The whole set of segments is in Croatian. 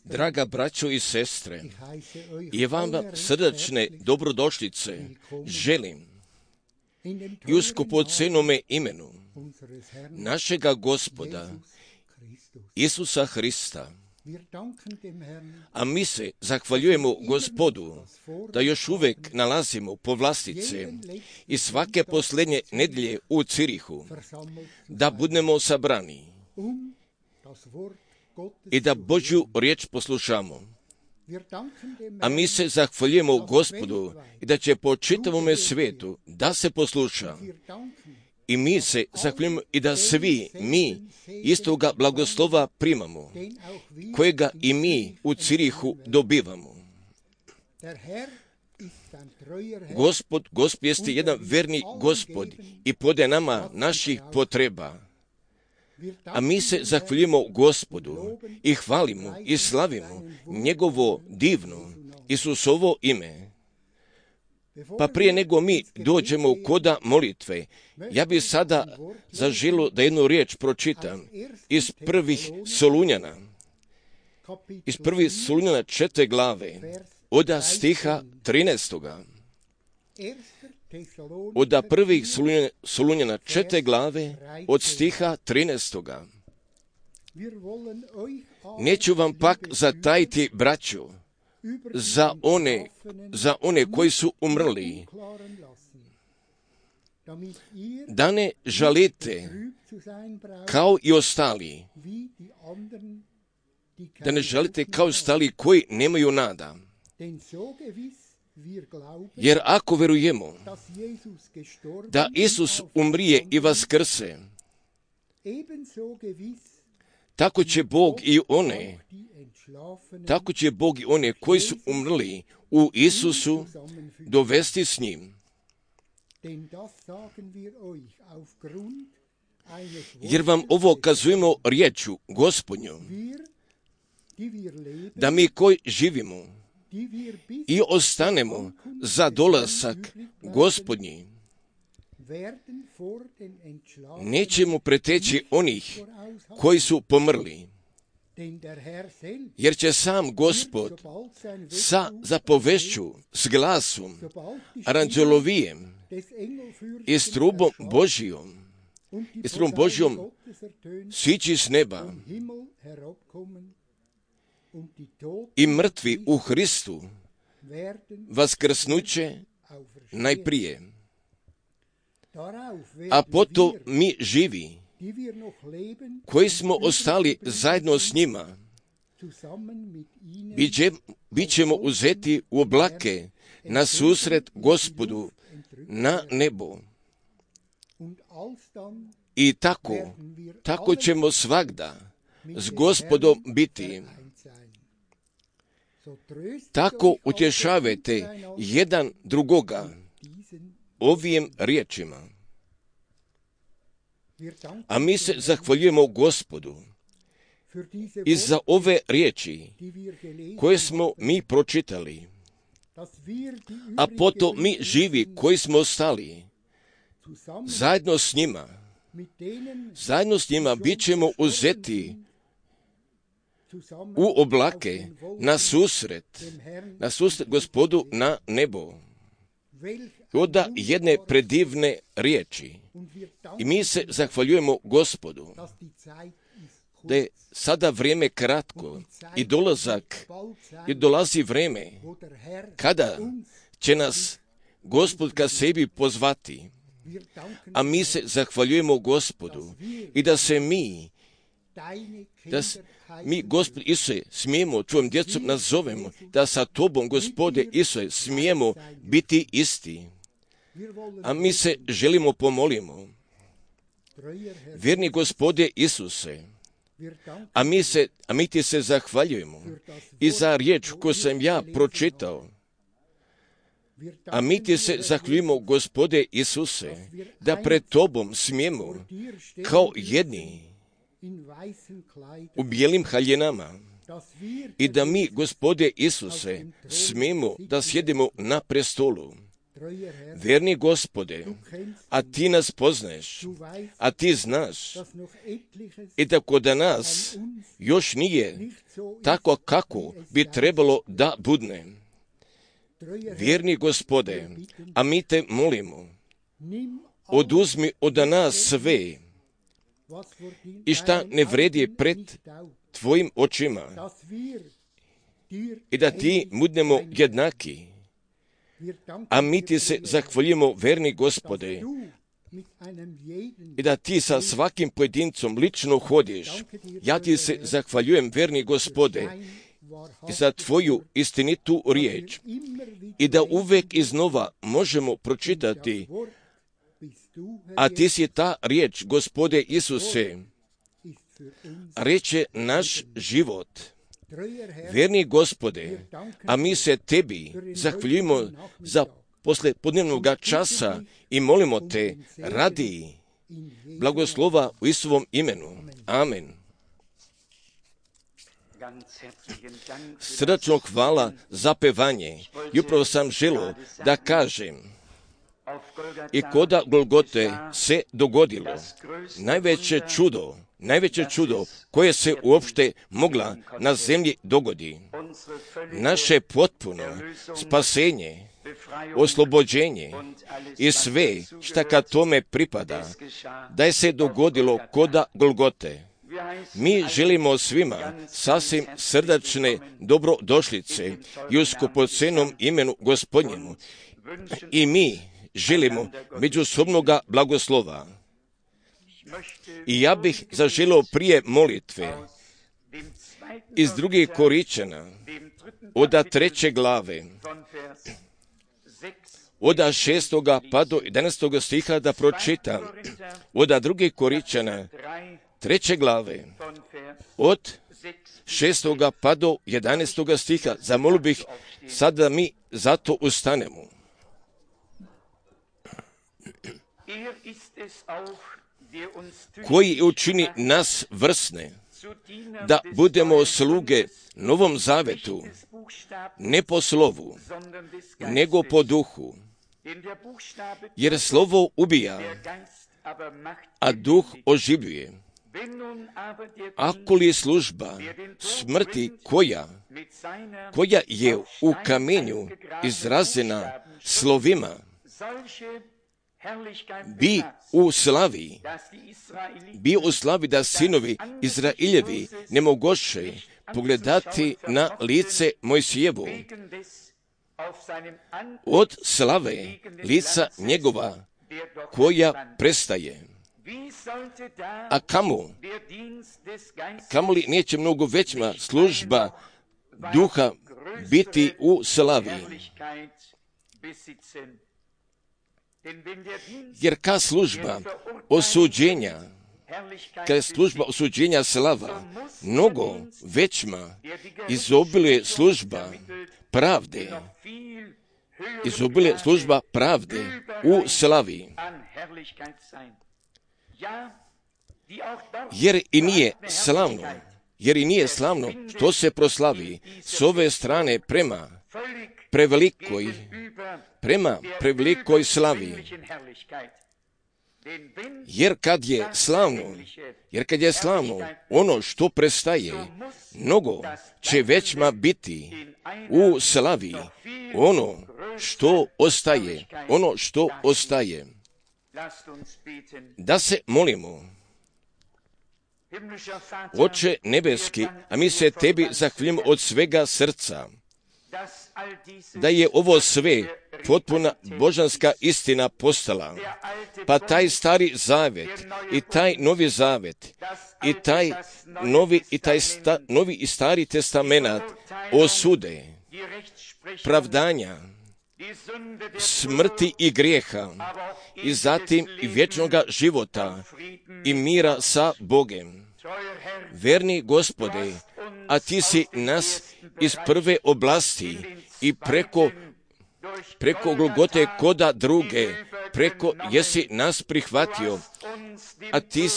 Draga braćo i sestre, i vam srdačne dobrodošlice želim i u skupocenome imenu našega Gospoda Isusa Hrista. A mi se zahvaljujemo Gospodu da još uvijek nalazimo povlastice i svake posljednje nedjelje u Cirihu, da budemo sabrani i da Božju riječ poslušamo. A mi se zahvaljujemo Gospodu i da će po čitavome svijetu da se posluša. I mi se zahvaljujemo i da svi mi istoga blagoslova primamo, kojega i mi u Cirihu dobivamo. Gospod jeste jedan verni Gospod i podaje nama naših potreba. A mi se zahvaljujemo Gospodu i hvalimo i slavimo njegovo divno Isusovo ime. Pa prije nego mi dođemo koda molitve, ja bih sada zaželio da jednu riječ pročitam iz prvih Solunjana. Iz prvih Solunjana 4. glave, oda stiha 13. Oda prvih Solunjana 4. glave, od stiha 13. Neću vam pak zatajiti, braćo, za one koji su umrli, da ne žalite kao i ostali, da ne žalite kao ostali koji nemaju nada. Jer ako verujemo da Isus umrije i vaskrse, tako će Bog i one koji su umrli u Isusu dovesti s njim. Jer vam ovo kazujemo riječu Gospodnju, da mi koji živimo i ostanemo za dolazak Gospodnji, nećemo preteći onih koji su pomrli. Jer će sam Gospod sa zapovešću, s glasom, aranđelovijem i s trubom Božjom sići s neba i mrtvi u Hristu vaskrsnuće najprije. A potom mi živi, koji smo ostali zajedno s njima, bit ćemo uzeti u oblake na susret Gospodu na nebo. I tako ćemo svagda s Gospodom biti. Tako utješavajte jedan drugoga ovim riječima. A mi se zahvaljujemo Gospodu i za ove riječi koje smo mi pročitali, a potom mi živi koji smo ostali, zajedno s njima bit ćemo uzeti u oblake na susret Gospodu na nebo. Oda jedne predivne riječi. I mi se zahvaljujemo Gospodu da je sada vrijeme kratko i dolazi vrijeme kada će nas Gospod ka sebi pozvati. A mi se zahvaljujemo Gospodu i da mi, Gospod Isuse, smijemo tvojom djecom nazovemo, da sa tobom, Gospode Isuse, smijemo biti isti. A mi se želimo pomolimo. Vjerni Gospode Isuse, a mi ti se zahvaljujemo i za riječ koju sam ja pročitao. A mi ti se zahvaljujemo, Gospode Isuse, da pred tobom smijemo kao jedni u bijelim haljinama i da mi, Gospode Isuse, smijemo da sjedimo na prestolu. Verni Gospode, a ti nas poznaješ, a ti znaš i da kod nas još nije tako kako bi trebalo da budne. Vjerni Gospode, a mi te molimo, oduzmi od nas sve i šta ne vredi pred tvojim očima i da ti budemo jednaki. A mi ti se zahvaljujemo, verni Gospode, i da ti sa svakim pojedincom lično hodiš. Ja ti se zahvaljujem, verni Gospode, za tvoju istinitu riječ i da uvek iznova možemo pročitati, a ti si ta riječ, Gospode Isuse, reče naš život. Verni Gospode, a mi se tebi zahvaljujemo za posle podnevnog časa i molimo te, radi blagoslova u Isuvom imenu. Amen. Srdačno hvala za pevanje. I upravo sam želio da kažem, i koda Golgote se dogodilo najveće čudo koje se uopšte mogla na zemlji dogodi. Naše potpuno spasenje, oslobođenje i sve šta ka tome pripada, da je se dogodilo koda Golgote. Mi želimo svima sasvim srdačne dobrodošlice i u skupocenom imenu Gospodnjemu. I mi želimo međusobnoga blagoslova. I ja bih zaželio prije molitve iz 2. Koričana, od 3. glave, od 6. pa do 11. stiha da pročitam. Od 2. Koričana, 3. glave, od 6. pa do 11. stiha. Zamolio bih sad da mi zato ustanemo. Koji učini nas vrsne, da budemo sluge Novom Zavetu, ne po slovu, nego po duhu. Jer slovo ubija, a duh oživljuje. Ako li je služba smrti koja je u kamenju izrazena slovima, bi u slavi da sinovi Izrailjevi ne mogoše pogledati na lice Mojsijevu od slave lica njegova koja prestaje. A kamo li neće mnogo veća služba duha biti u slavi? Jer kad služba osuđenja slava, mnogo većma izobiluje služba pravde u slavi. Jer i nije slavno što se proslavi s ove strane prema prevelikoj slavi. Jer kad je slavno ono što prestaje, mnogo će većma biti u slavi ono što ostaje. Da se molimo. Oče nebeski, a mi se tebi zahvaljujemo od svega srca, da je ovo sve potpuna božanska istina postala, pa taj stari zavet i taj novi zavet i taj novi i stari testamenat osude, pravdanja, smrti i grijeha i zatim i vječnoga života i mira sa Bogem. Verni Gospode, a ti si nas iz prve oblasti i preko Golgote koda druge preko jesi nas prihvatio, a ti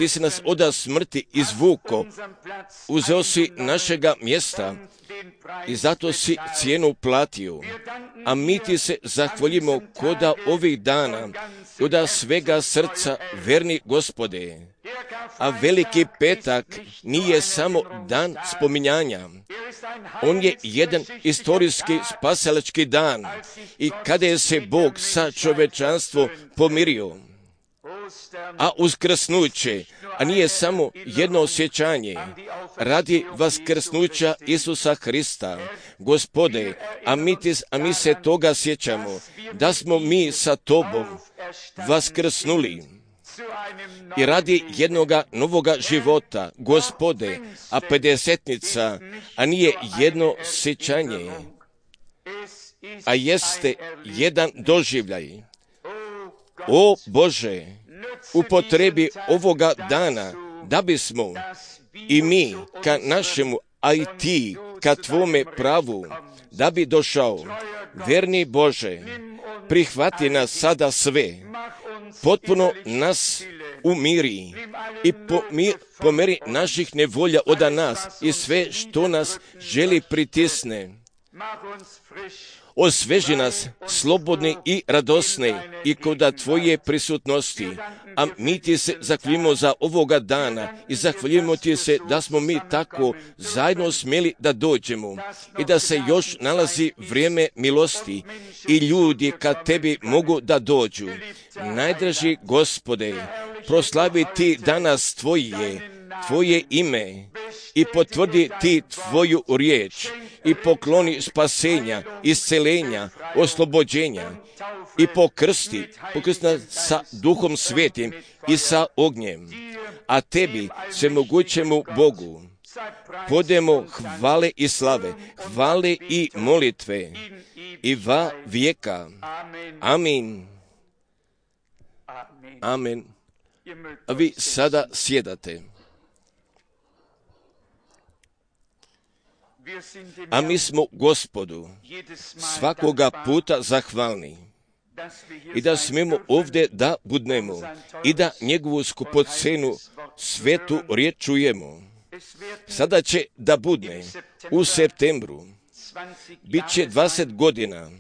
si nas od smrti izvuko, uzeo si našega mjesta i zato si cijenu platio. A mi ti se zahvaljujemo koda ovih dana, koda svega srca, verni Gospode. A veliki petak nije samo dan spominjanja. On je jedan istorijski spasilački dan i kada je se Bog sa čovečanstvom pomirio. A uskrsnuće, a nije samo jedno osjećanje, radi vaskrsnuća Isusa Hrista, Gospode, a mi se toga sjećamo, da smo mi sa Tobom vaskrsnuli. I radi jednoga novoga života, Gospode, a pedesetnica, a nije jedno sjećanje, a jeste jedan doživljaj. O Bože, upotrebi ovoga dana, da bismo i mi ka našemu, a i ti ka tvome pravu, da bi došao. Verni Bože, prihvati nas sada sve, potpuno nas umiri i pomeri naših nevolja od nas i sve što nas želi pritisne. Osveži nas slobodni i radosni i koda tvoje prisutnosti, a mi ti se zahvaljujemo za ovoga dana i zahvaljujemo ti se da smo mi tako zajedno smjeli da dođemo i da se još nalazi vrijeme milosti i ljudi kad tebi mogu da dođu. Najdraži Gospode, proslavi ti danas tvoje ime i potvrdi ti tvoju riječ i pokloni spasenja, iscelenja, oslobođenja i pokrsti nas sa Duhom Svetim i sa ognjem. A tebi, svemogućemu Bogu, podemo hvale i slave, hvale i molitve i va vijeka. Amin. Amen. A vi sada sjedate. A mi smo Gospodu svakoga puta zahvalni i da smijemo ovdje da budnemo i da njegovu skupocenu svetu riječ čujemo. Sada će da budne u septembru, bit će 20 godina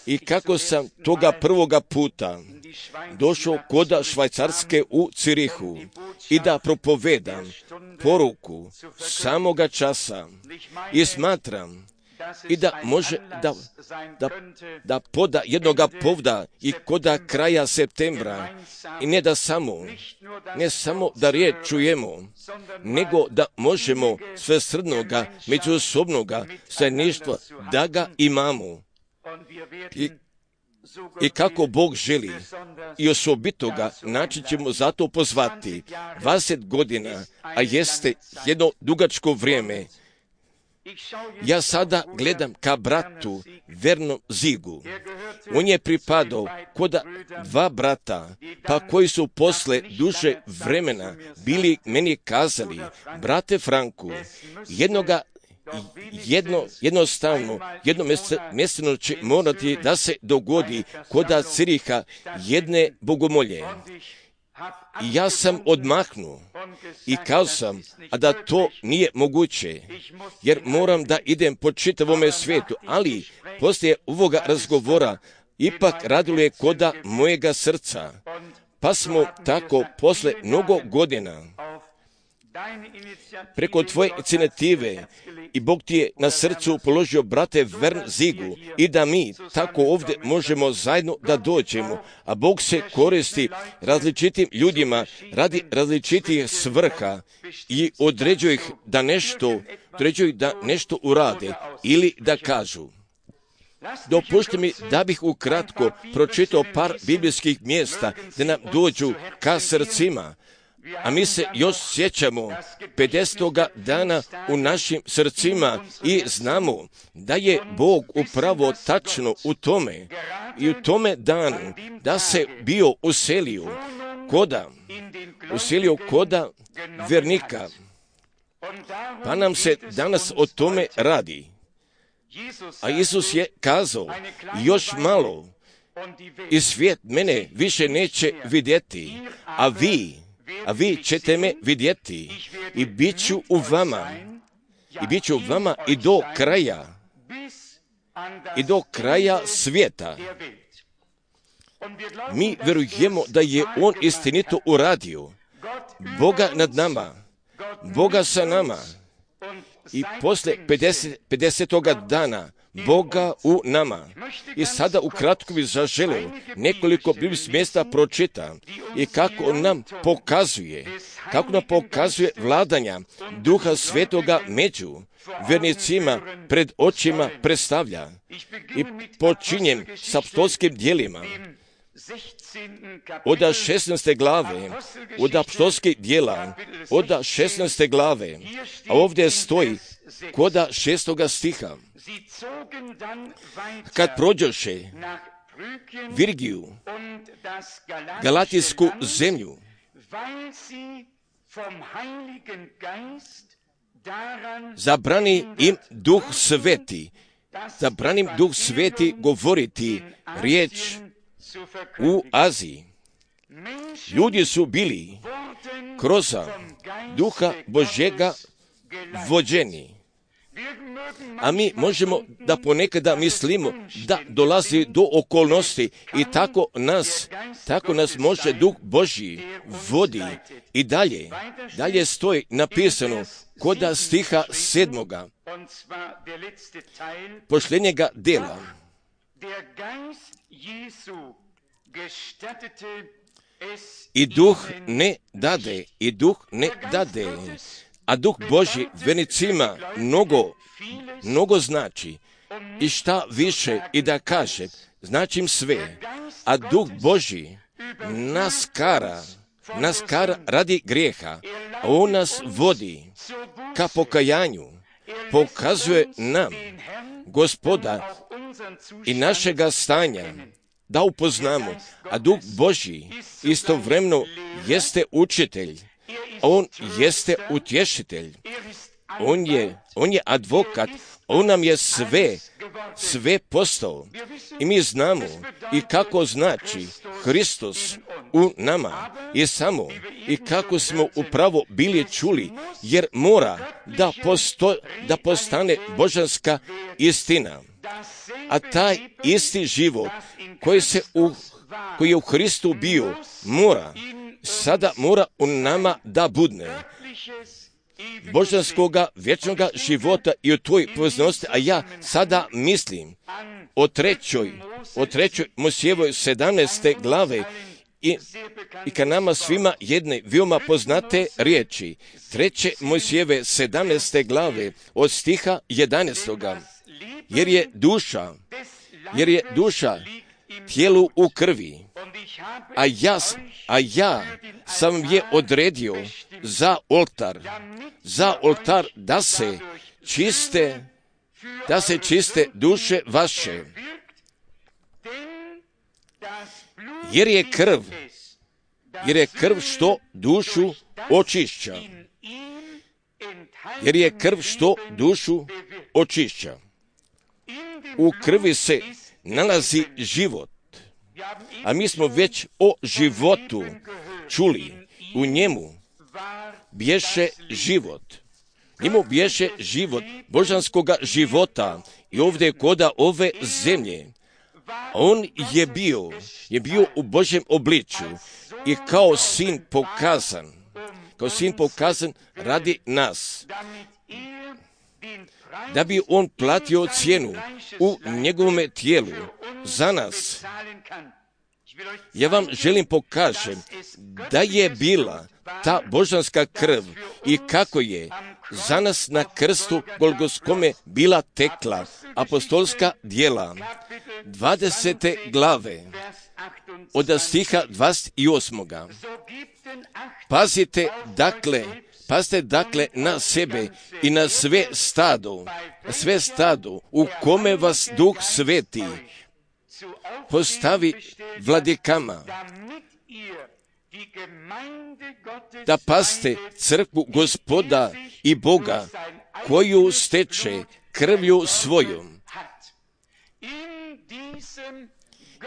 i kako sam toga prvoga puta došao koda Švajcarske u Cirihu i da propovedam poruku samoga časa i smatram i da može da poda jednoga povda i koda kraja septembra i ne samo da riječ čujemo, nego da možemo svesrdnoga, međusobnoga zajedništva da ga imamo. I kako Bog želi i osobitoga način ćemo zato pozvati 20 godina, a jeste jedno dugačko vrijeme. Ja sada gledam ka bratu Vernom Zigu. On je pripadao koda dva brata, pa koji su posle duže vremena bili meni kazali, brate Franku, jedno mjesečno će morati da se dogodi koda Ciriha jedne bogomolje. I ja sam odmahnuo i kazao sam, a da to nije moguće, jer moram da idem po čitavome svijetu, ali poslije ovoga razgovora ipak radilo je koda mojega srca. Pa smo tako posle mnogo godina preko tvoje inicijative i Bog ti je na srcu položio, brate Vern Zigu, i da mi tako ovdje možemo zajedno da dođemo, a Bog se koristi različitim ljudima radi različitih svrha i određuje ih da nešto urade ili da kažu. Dopušte mi da bih ukratko pročitao par biblijskih mjesta da nam dođu ka srcima. A mi se još sjećamo 50. dana u našim srcima i znamo da je Bog upravo tačno u tome danu da se bio uselio koda vernika. Pa nam se danas o tome radi. A Isus je kazao, još malo i svijet mene više neće vidjeti, a vi ćete me vidjeti i bit ću u vama i do kraja svijeta. Mi vjerujemo da je On istinito uradio, Boga nad nama, Boga sa nama i poslije 50. dana Boga u nama. I sada ukratko bih zaželio nekoliko biblijskih mjesta pročita i kako nam pokazuje vladanja Duha Svetoga među vjernicima pred očima predstavlja. I počinjem s apostolskim djelima od 16. glave, od apostolskih djela, od 16. glave, a ovdje stoji kod 6. stiha. Kad prođoše Virgiju, Galatijsku zemlju, zabrani im Duh Sveti govoriti riječ u Aziji. Ljudi su bili kroz Duha Božjega vođeni. A mi možemo da ponekada mislimo da dolazi do okolnosti i tako nas može Duh Božji vodi. I dalje stoji napisano kod stiha 7. posljednjega dela. I duh ne dade, a Duh Božji vjernicima mnogo znači. I šta više i da kaže, značim sve, a Duh Božji nas kara radi grijeha, a On nas vodi ka pokajanju, pokazuje nam Gospoda i našega stanja da upoznamo, a Duh Božji istovremeno jeste učitelj, On jeste utješitelj, On je advokat, On nam je sve postao. I mi znamo i kako znači Hristos u nama i kako smo upravo bili čuli, jer mora da postane božanska istina. A taj isti život koji je u Hristu bio, sada mora u nama da budne božanskoga vječnoga života i o tvojoj poveznosti. A ja sada mislim o trećoj Mojsijevoj 17. glave i ka nama svima jedne veoma poznate riječi. 3. Mojsijeve 17. glave od stiha 11. Jer je duša tijelu u krvi, a ja sam je odredio za oltar da se duše vaše. Jer je krv što dušu očišća. U krvi se nalazi život, a mi smo već o životu čuli. U njemu bješe život božanskoga života i ovdje koda ove zemlje. On je bio u Božjem obličju i kao sin pokazan radi nas, da bi On platio cijenu u njegovome tijelu za nas. Ja vam želim pokažem da je bila ta božanska krv i kako je za nas na krstu Golgotskome bila tekla. Apostolska djela 20. glave od stiha 28. Pazite dakle na sebe i na sve stado u kome vas Duh Sveti postavi vladikama, da paste crkvu Gospoda i Boga, koju steče krvlju svojom.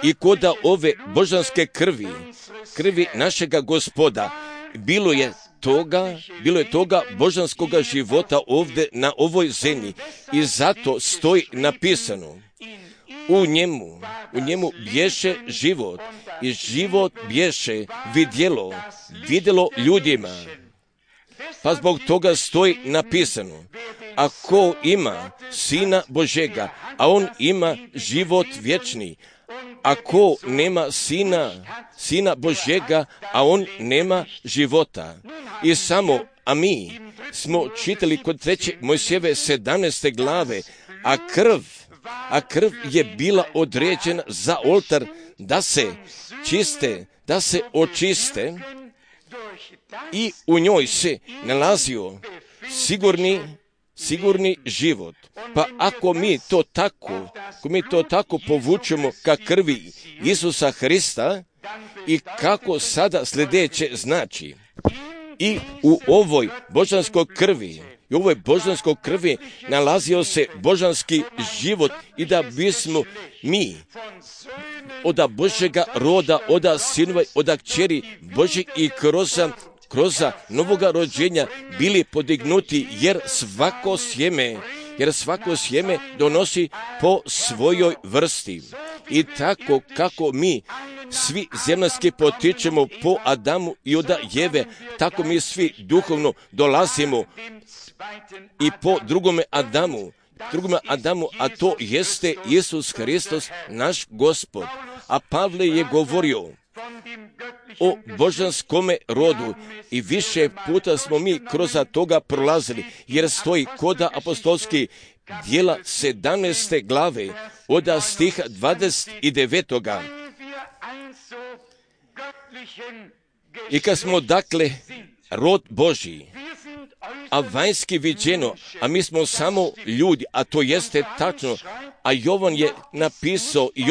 I koda ove božanske krvi našega Gospoda, bilo je toga božanskoga života ovdje na ovoj zemlji. I zato stoji napisano, u njemu bješe život i život bješe vidjelo ljudima. Pa zbog toga stoji napisano, ako ima Sina Božega, a on ima život vječni. Ako nema Sina Božega, a on nema života. I a mi smo čitali kod 3. Mojsijeve 17. glave, a krv je bila određena za oltar da se očiste i u njoj se nalazio sigurni život. Pa ako mi to tako povučemo ka krvi Isusa Hrista, i kako sada sljedeće znači, i u ovoj božanskoj krvi nalazio se božanski život, i da bismo mi od Božjega roda, od sinova, od kćeri Božjih i kroz novoga rođenja bili podignuti, jer svako sjeme donosi po svojoj vrsti. I tako kako mi svi zemaljski potičemo po Adamu i od Jeve, tako mi svi duhovno dolazimo i po drugome Adamu, a to jeste Isus Hristos, naš Gospod. A Pavle je govorio o božanskome rodu i više puta smo mi kroz toga prolazili, jer stoji koda apostolski djela 17. glave od stiha 29. I kad smo dakle rod Božji, a vanjski viđeno, a mi smo samo ljudi, a to jeste tačno, a Jovan je napisao i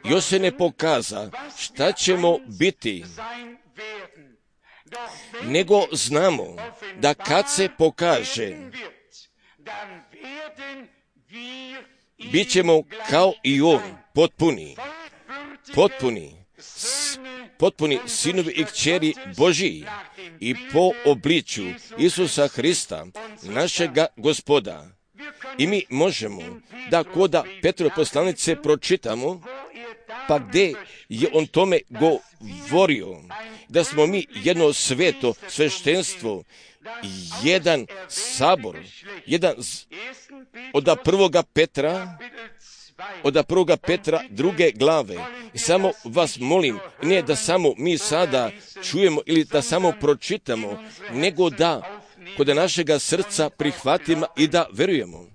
još se ne pokaza šta ćemo biti, nego znamo da kad se pokaže, bit ćemo kao i on, potpuni sinovi i kćeri Božiji i po obličju Isusa Hrista, našega Gospoda. I mi možemo da koda Petrove poslanice pročitamo, pa gdje je on tome govorio, da smo mi jedno sveto sveštenstvo, jedan sabor, od prvoga Petra 2. glave. I samo vas molim, ne da samo mi sada čujemo ili da samo pročitamo, nego da kod našega srca prihvatimo i da verujemo.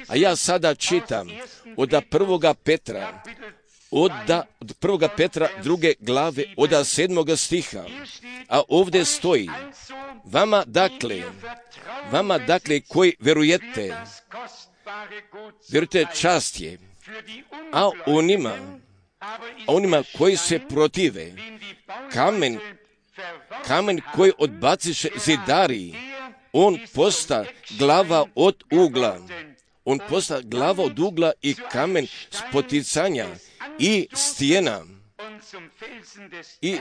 A ja sada čitam od 1. Petra, od 1. Petra 2. glave, od 7. stiha. A ovdje stoji, vama dakle koji verujete čast je, a onima koji se protive, kamen koji odbaciše zidari, on posta glava od ugla i kamen spoticanja i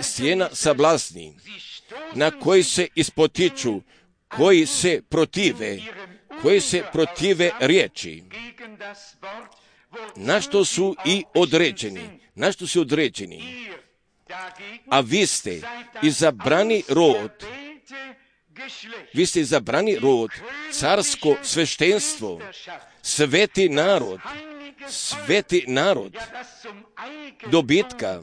stijena sablasni, na koji se ispotiču, koji se protive riječi, na što su i određeni. A vi ste izabrani rod, carsko sveštenstvo, sveti narod, dobitka,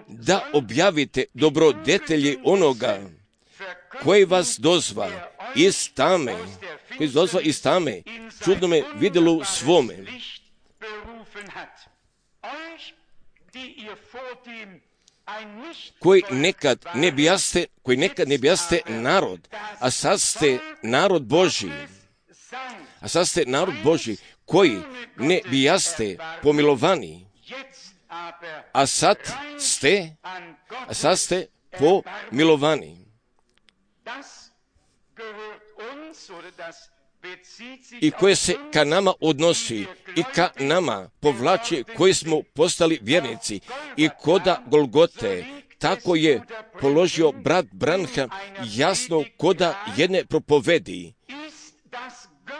da objavite dobrodetelji onoga koji vas dozva iz tame, čudnome vidjelu svome, koji nekad ne bijaste narod, a sad ste narod Božji, koji ne bijaste pomilovani, a sad ste pomilovani. i koje se ka nama odnosi i ka nama povlači koji smo postali vjernici i koda Golgote. Tako je položio brat Branham jasno koda jedne propovedi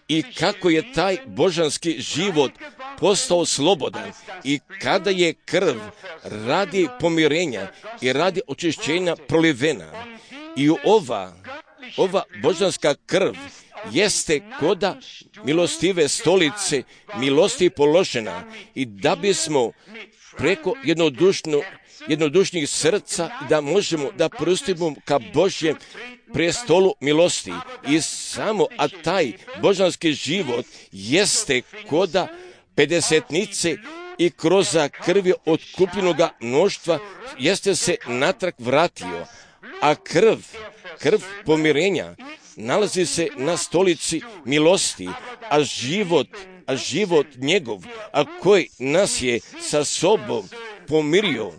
i kako je taj božanski život postao slobodan i kada je krv radi pomirenja i radi očišćenja prolivena. I ova božanska krv jeste koda milostive stolice, milosti položena i da bismo preko jednodušnih srca da možemo da pristupimo ka Božjem prestolu milosti i samo, a taj božanski život jeste koda pedesetnice i kroz krvi otkupljenoga mnoštva jeste se natrag vratio, a krv pomirenja nalazi se na stolici milosti, a život njegov, a koji nas je sa sobom pomirio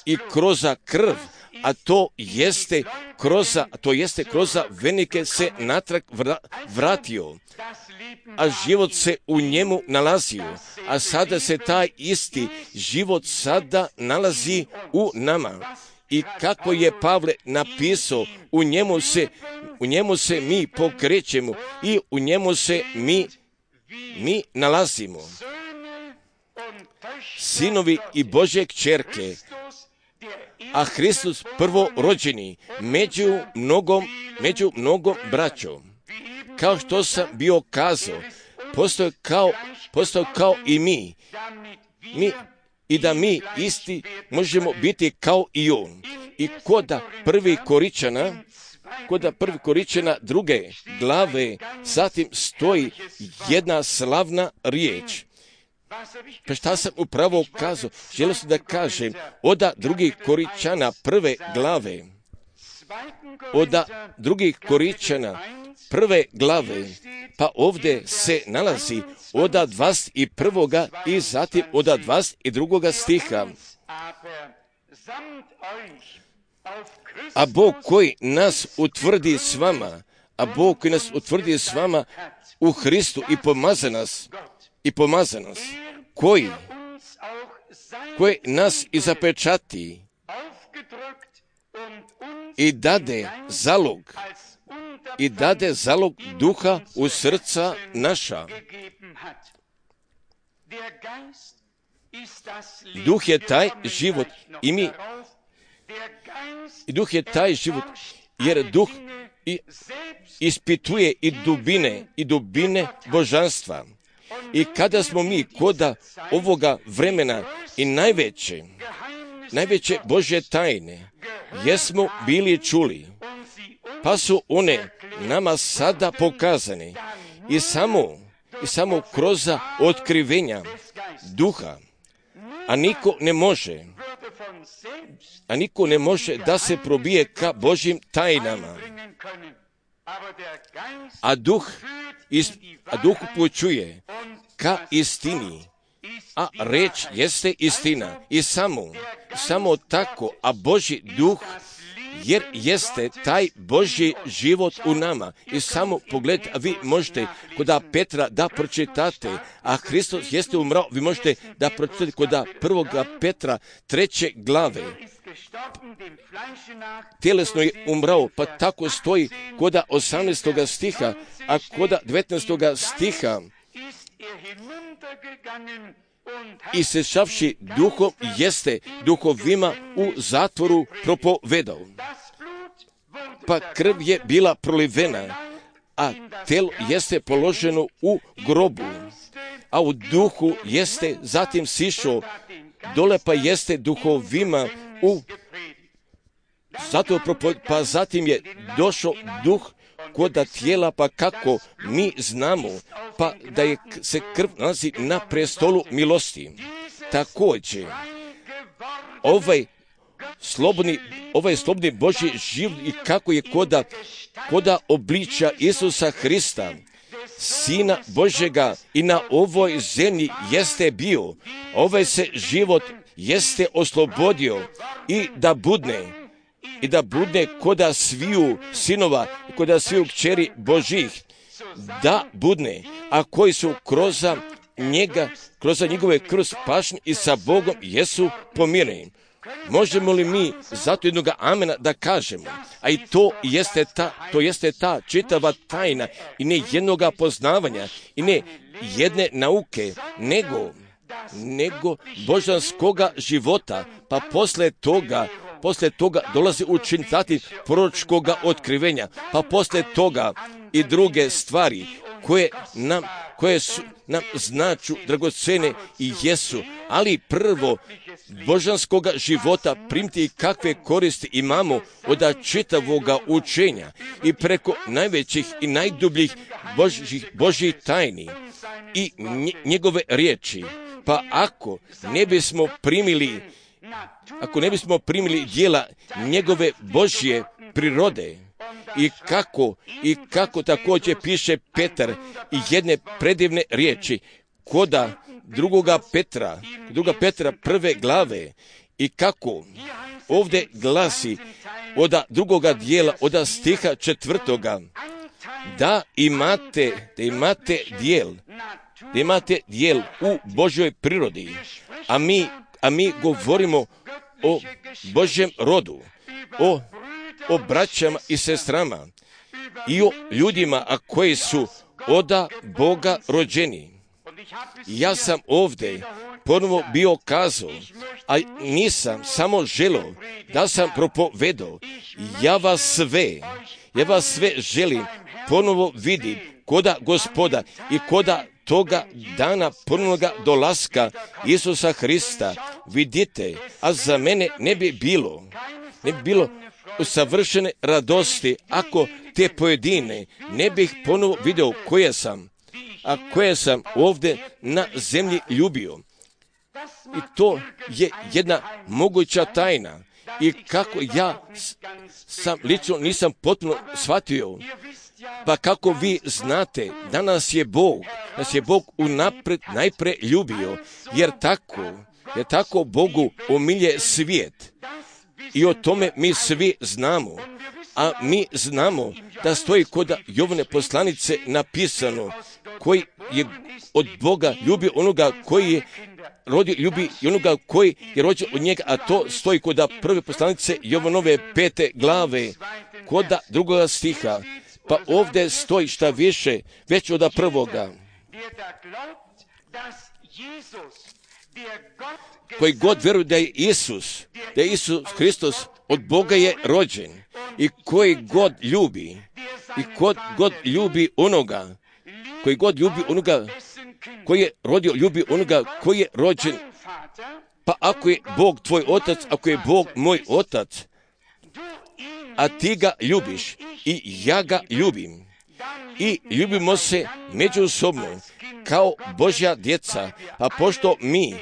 i kroz krv, a to jeste kroz venike se natrag vratio, a život se u njemu nalazio, a sada se taj isti život sada nalazi u nama. I kako je Pavle napisao, u njemu se mi pokrećemo i u njemu se mi nalazimo. Sinovi i Božje kćerke, a Hristos prvorođeni među mnogom braćom. Kao što sam bio kazao, postao kao i mi i da mi isti možemo biti kao i on. I koda prvi Koričana druge glave, zatim stoji jedna slavna riječ. Pa šta sam upravo kazao? Želio sam da kažem, oda drugih Koričana prve glave, pa ovdje se nalazi oda 21. i zatim oda 22. stiha. A Bog koji nas utvrdi s vama, u Hristu i pomaza nas, koji nas i zapečati i dade zalog duha u srca naša. Duh je taj život i Duh je taj život, jer Duh ispituje i dubine božanstva. I kada smo mi koda ovoga vremena i najveće Božje tajne jesmo bili čuli, pa su one nama sada pokazane i samo kroz otkrivenja Duha, a niko ne može da se probije ka Božjim tajnama. A Duh upućuje ka istini, a reč jeste istina. I samo tako, a Božji Duh, jer jeste taj Božji život u nama. I samo pogledajte, a vi možete koda Petra da pročitate, a Hristos jeste umrao, vi možete da pročitate koda 1. Petra 3. glave. Tjelesno je umrao, pa tako stoji koda 18. stiha, a koda 19. stiha. I sešavši duhom jeste duhovima u zatvoru propovedao. Pa krv je bila prolivena, a telo jeste položeno u grobu, a u duhu jeste zatim sišao dole, pa jeste duhovima u zatvoru propovedao, pa zatim je došao duh koda tijela, pa kako mi znamo, pa da je se krv nalazi na prestolu milosti. Također, ovaj slobodni Božji život i kako je koda obličja Isusa Hrista, Sina Božjega, i na ovoj zemlji jeste bio, ovaj se život jeste oslobodio i da budne koda sviju sinova i koda sviju kćeri Božih da budne, a koji su kroz njegove krv spašeni i sa Bogom jesu pomireni. Možemo li mi zato jednog amena da kažemo? A i to jeste ta čitava tajna i ne jednoga poznavanja i ne jedne nauke, nego božanskoga života, pa posle toga dolazi učiniti proročkoga otkrivenja, pa posle toga i druge stvari koje su nam značu dragocene i jesu, ali prvo božanskoga života primiti kakve koristi imamo od čitavoga učenja i preko najvećih i najdubljih Božjih tajni i njegove riječi. Pa ako ne bismo primili djela njegove Božje prirode, i kako također piše Petar i jedne predivne riječi koda druga Petra prve glave, i kako ovdje glasi od drugoga dijela, od stiha 4. da imate dijel u Božjoj prirodi, a mi govorimo o Božjem rodu, o braćama i sestrama i o ljudima koji su od Boga rođeni. Ja sam ovdje ponovo bio kazao, a nisam samo želio da sam propovedao. Ja vas sve želim ponovo vidjeti koda Gospoda i koda toga dana ponovnoga dolaska Isusa Hrista. Vidite, a za mene ne bi bilo savršene radosti ako te pojedine ne bih ponovo vidio koje sam ovdje na zemlji ljubio. I to je jedna moguća tajna. I kako ja sam lično nisam potpuno shvatio. Pa kako vi znate, da nas je Bog unaprijed najpre ljubio, jer tako Bogu omilje svijet. I o tome mi svi znamo. A mi znamo da stoji kod Jovane poslanice napisano, koji je od Boga ljubio onoga koji je rodio, ljubi i onoga koji je rođen od njega, a to stoji kod prve poslanice Jovanove 5. glave, kod drugoga stiha. Pa ovdje stoji šta više, već od prvoga. Koji god vjeruje da je Isus Hristos od Boga je rođen, i koji god ljubi onoga koji je rodio, ljubi onoga koji je rođen. Pa ako je Bog tvoj otac, ako je Bog moj otac, a ti ga ljubiš i ja ga ljubim, i ljubimo se međusobno kao Božja djeca, a pošto mi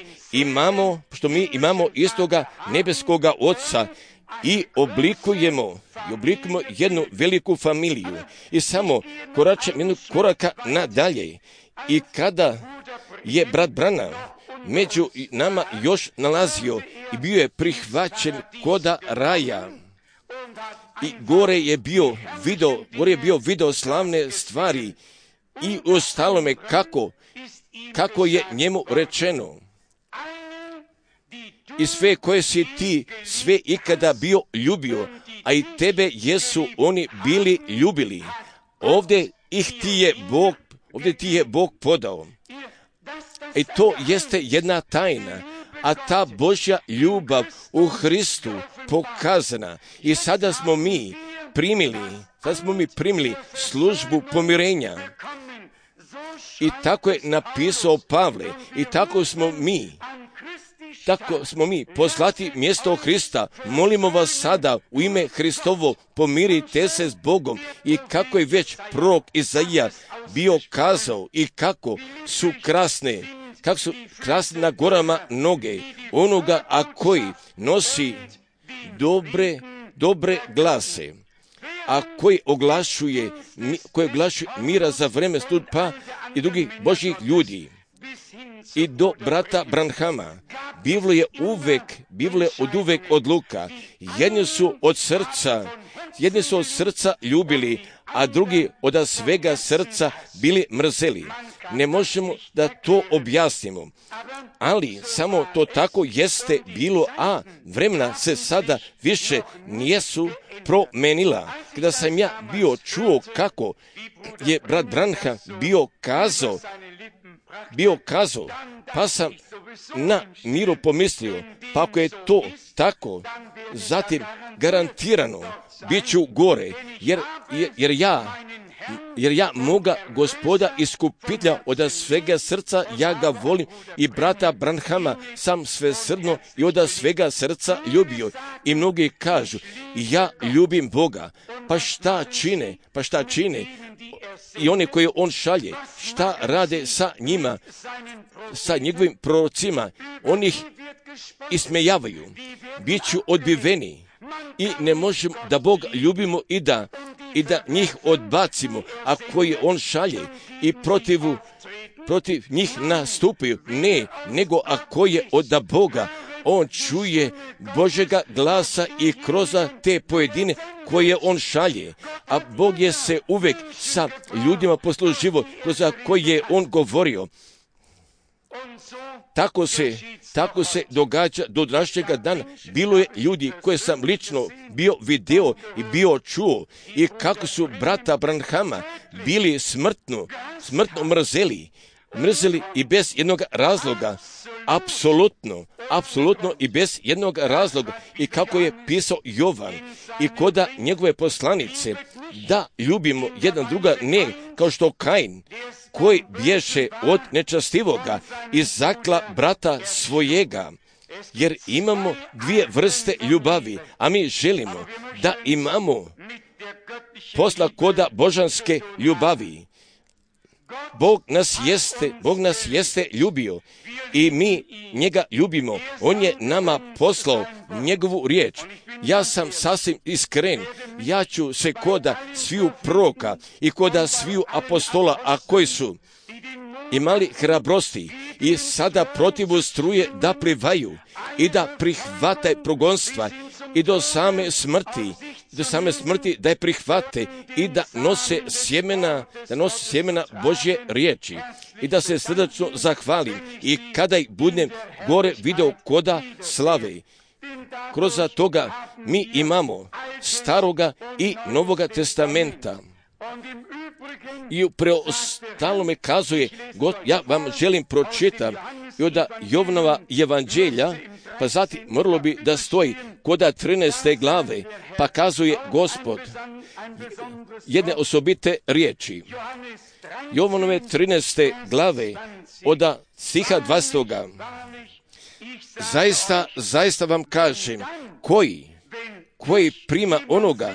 imamo istoga nebeskoga Oca i oblikujemo jednu veliku familiju, i samo koračem jednog koraka nadalje, i kada je brat Branham među nama još nalazio i bio je prihvaćen koda raja, i gore je bio video slavne stvari, i ostalome kako je njemu rečeno, i sve koje si ti sve ikada bio ljubio, a i tebe jesu oni bili ljubili. Ovdje ti je Bog podao. I to jeste jedna tajna, a ta Božja ljubav u Hristu pokazana. I sada smo mi primili službu pomirenja. I tako je napisao Pavle, i tako smo mi poslati mjesto Hrista. Molimo vas sada u ime Hristovo, pomirite se s Bogom. I kako je već prorok Izaija bio kazao, i kako su krasne na gorama noge onoga, a koji nosi dobre glase, a koji oglašuje mira za vreme stupa i drugih Božjih ljudi. I do brata Branhama, Biblia je od uvek odluka. Jedni su od srca jedni su od srca ljubili, a drugi od svega srca bili mrzeli. Ne možemo da to objasnimo, ali samo to tako jeste bilo, a vremena se sada više nijesu promenila. Kada sam ja bio čuo kako je brat Branham bio kazao, pa sam na miru pomislio, pa ako je to tako, zatim garantirano bit ću gore, jer ja moga Gospoda iskupitelja od svega srca, ja ga volim i brata Branhama sam svesrdno i od svega srca ljubio. I mnogi kažu, ja ljubim Boga, pa šta čine? I one koje on šalje, šta rade sa njima, sa njegovim prorocima, oni ih ismejavaju, bit ću odbiveni i ne možemo da Boga ljubimo i da njih odbacimo, a koje on šalje i protiv njih nastupaju, ne, nego ako je od Boga, on čuje Božjega glasa i kroz te pojedine koje on šalje, a Bog je se uvek sa ljudima posluživo kroz koje je on govorio. Tako se događa do današnjega dana. Bilo je ljudi koje sam lično bio video i bio čuo i kako su brata Branhama bili smrtno mrzeli i bez jednog razloga. Apsolutno i bez jednog razloga. I kako je pisao Jovan i koda njegove poslanice, da ljubimo jedan druga, ne kao što Kain, koji bješe od nečastivoga i zakla brata svojega. Jer imamo dvije vrste ljubavi, a mi želimo da imamo posla koda božanske ljubavi. Bog nas jeste ljubio i mi njega ljubimo. On je nama poslao njegovu riječ. Ja sam sasvim iskren. Ja ću se koda sviju proroka i koda sviju apostola, a koji su imali hrabrosti i sada protivu struje da plivaju i da prihvate progonstva i do same smrti da je prihvate i da nose sjemena Božje riječi i da se srdačno zahvalim i kada ih budem gore video koda slave. Kroz toga mi imamo Staroga i Novoga testamenta. I u preostalome kazuje, ja vam želim pročitati i od Jovanova evanđelja, pa zatim moralo bi da stoji koda 13. glave, pa kazuje Gospod jedne osobite riječi. Jovanove 13. glave od stiha 20. Zaista vam kažem, koji prima onoga,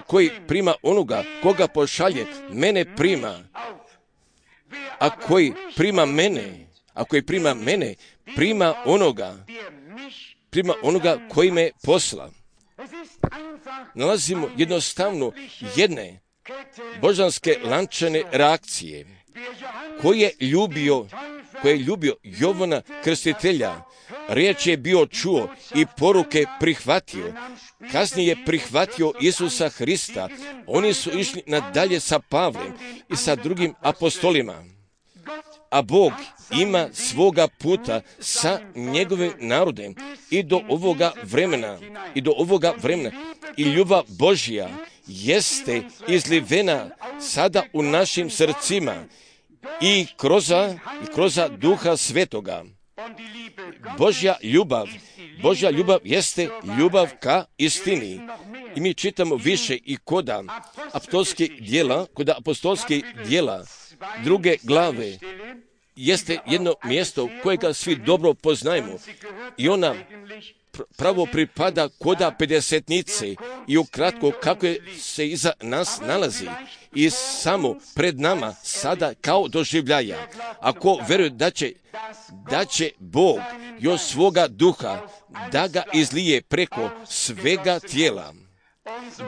koji prima onoga koga pošalje, mene prima. A koji prima mene, prima onoga koji me posla. Nalazimo jednostavno jedne božanske lančane reakcije koje je ljubio Jovana Krstitelja. Riječ je bio čuo i poruke prihvatio. Kasnije je prihvatio Isusa Hrista. Oni su išli nadalje sa Pavlem i sa drugim apostolima. A Bog ima svoga puta sa njegovim narodem i do ovoga vremena. I ljubav Božja jeste izlivena sada u našim srcima i kroz Duha Svetoga. Božja ljubav jeste ljubav ka istini. I mi čitamo više i kod apostolskih djela, 2. glave, jeste jedno mjesto kojega svi dobro poznajemo. I ona pravo pripada koda pedesetnice i ukratko kako se iza nas nalazi i samo pred nama sada kao doživljaja. Ako vjeruje da će Bog još svoga duha da ga izlije preko svega tijela,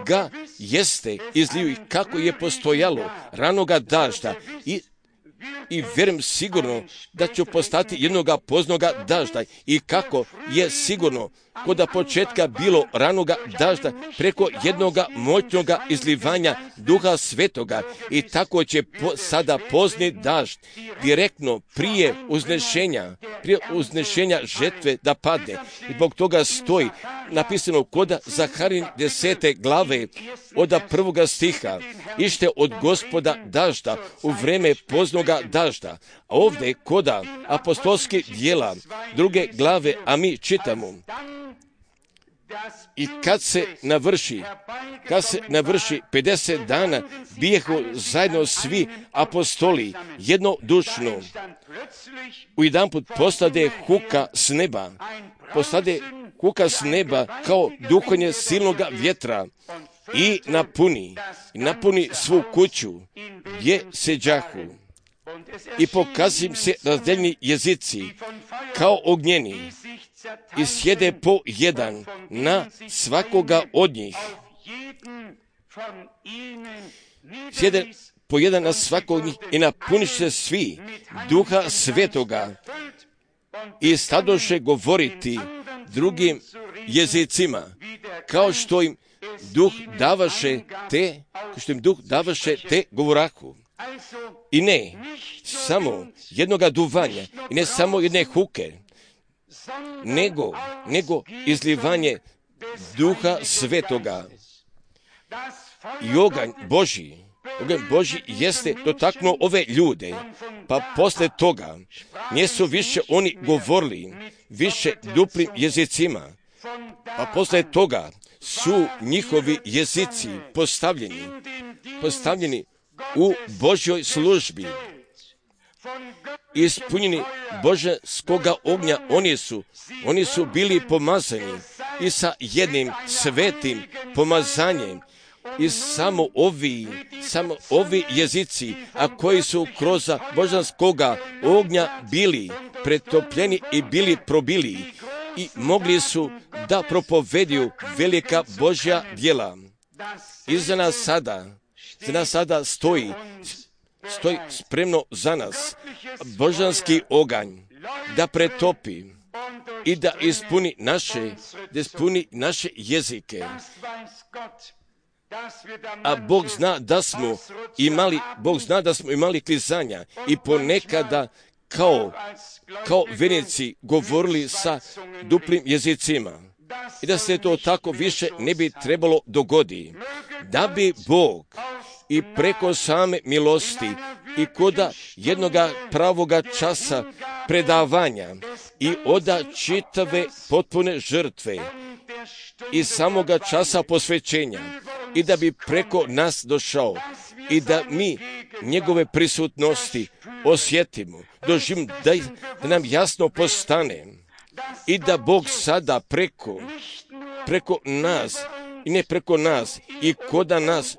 ga jeste izliju kako je postojalo ranoga dažda i vjerujem sigurno da će postati jednoga poznoga dažda i kako je sigurno koda početka bilo ranoga dažda preko jednoga moćnoga izlivanja Duha Svetoga i tako će sada pozni dažd direktno prije uznešenja žetve da padne. I zbog toga stoji napisano koda Zaharin 10. glave od 1. stiha, ište od Gospoda dažda u vreme poznoga dažda. A ovdje koda apostolskih djela 2. glave, a mi čitamo: i kad se navrši 50 dana, bijehu zajedno svi apostoli jednodušno. Ujedanput postade huka s neba kao duhanje silnoga vjetra i napuni svu kuću gdje seđahu. I pokazim se razdeljeni jezici kao ognjeni i sjede po jedan na svakoga od njih. Sjede po jedan na svakog od njih i napuniš se svi Duha Svetoga i stadoše govoriti drugim jezicima, kao što im Duh davaše te govorahu. I ne samo jednoga duvanja, i ne samo jedne huke, nego izlivanje Duha Svetoga. I oganj Božji jeste dotaknuo ove ljude, pa posle toga nisu više oni govorili više duplim jezicima, pa posle toga su njihovi jezici postavljeni u Božjoj službi. Ispunjeni božanskoga ognja, oni su bili pomazani i sa jednim svetim pomazanjem. I samo ovi jezici, a koji su kroz božanskoga ognja bili pretopljeni i bili probili i mogli su da propovediju velika Božja djela. I za nas sada stoji spremno za nas božanski oganj da pretopi i da ispuni naše jezike. A Bog zna da smo imali klizanja i ponekada kao vjernici govorili sa duplim jezicima. I da se to tako više ne bi trebalo dogoditi. Da bi Bog i preko same milosti i koda jednoga pravoga časa predavanja i oda čitave potpune žrtve i samoga časa posvećenja i da bi preko nas došao i da mi njegove prisutnosti osjetimo, doživimo, da nam jasno postane i da Bog sada preko nas i ne preko nas i koda nas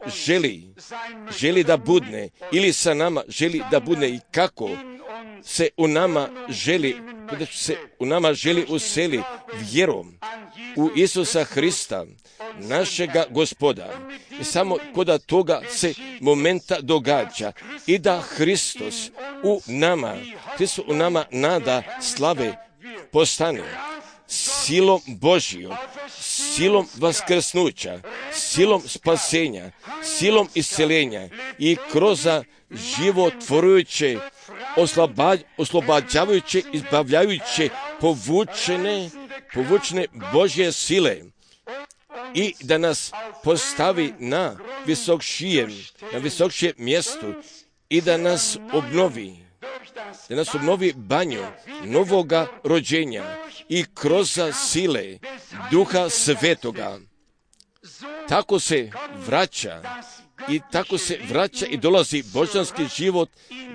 želi da budne ili sa nama želi da budne i kako se u nama želi useli vjerom u Isusa Hrista, našega Gospoda. I samo koda toga se momenta događa i da Hristos u nama nada slave postane silom Božijom, silom vaskrsnuća, silom spasenja, silom isceljenja i kroz životvorujuće, oslobađavajuće, izbavljajuće, povučene Božje sile i da nas postavi na visokšijem mjestu i da nas obnovi banju novoga rođenja i kroz sile Duha Svetoga. Tako se vraća i dolazi božanski život,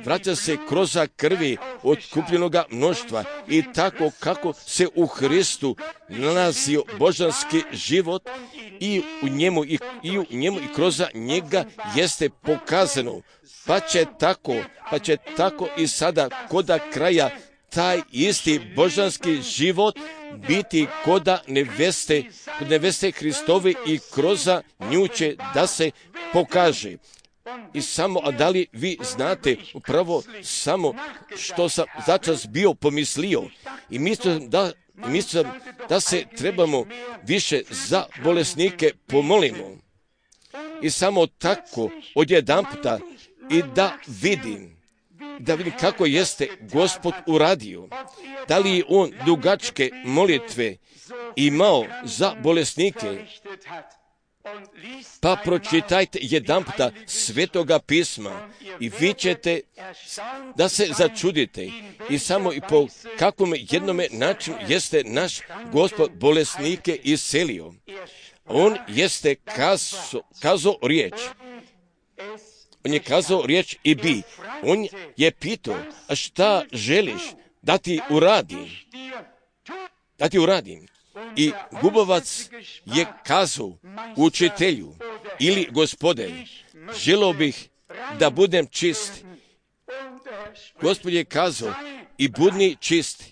vraća se kroz krvi otkupljenoga mnoštva i tako kako se u Hristu nalazio božanski život i u njemu i kroz njega jeste pokazano, pa će tako i sada koda kraja taj isti božanski život biti koda neveste Hristovi i kroz nju će da se pokaže. I samo, a da li vi znate upravo samo što sam začas bio pomislio i mislim I mislim da se trebamo više za bolesnike pomolimo. I samo tako odjedanputa i da vidim kako jeste Gospod uradio. Da li je on dugačke molitve imao za bolesnike? Pa pročitajte jedanputa Svetoga pisma i vi ćete da se začudite i samo i po kakvom jednome načinu jeste naš Gospod bolesnike iscelio. On jeste kazao riječ. On je kazao riječ i bi. On je pitao, a šta želiš da ti uradim? Da ti uradim. I gubovac je kazao učitelju ili Gospode, želio bih da budem čist. Gospod je kazao i budni čist.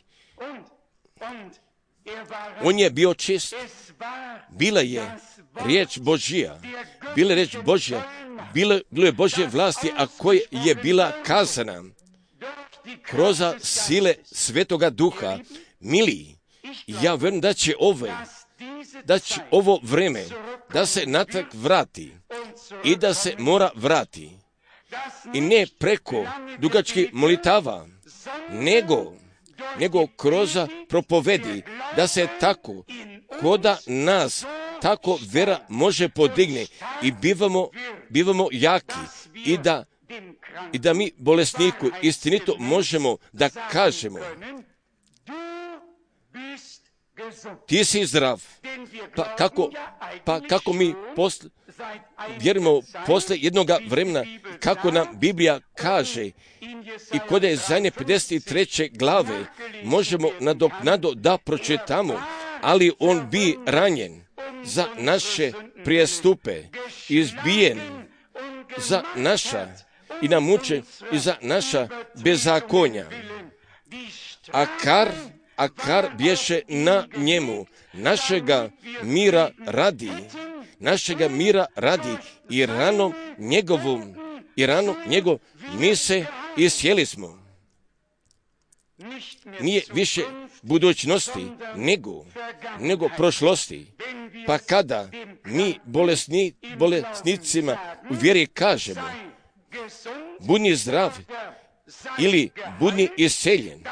On je bio čist. Bila je riječ Božja. Bila je riječ Božja. Bilo je Božje vlasti, a koja je bila kazana kroz sile Svetoga Duha. Mili, ja vjerujem da će ovo vreme da se natrag vrati i da se mora vrati. I ne preko dugačkih molitava, nego kroz propovedi, da se tako, koda nas tako vera može podigne i bivamo jaki i da mi bolesniku istinito možemo da kažemo ti si zdrav. Pa kako mi vjerujemo posle jednoga vremena, kako nam Biblija kaže i kod je zadnje 53. glave možemo nadoknado da pročitamo, ali on bi ranjen za naše prijestupe, izbijen za naša i namučen i za naša bezakonja. A kar bješe na njemu, našega mira radi i ranom njegov mi se iscijeli smo. Nije više budućnosti, nego prošlosti. Pa kada mi bolesnicima u vjeri kažemo budni zdrav ili budni isceljen,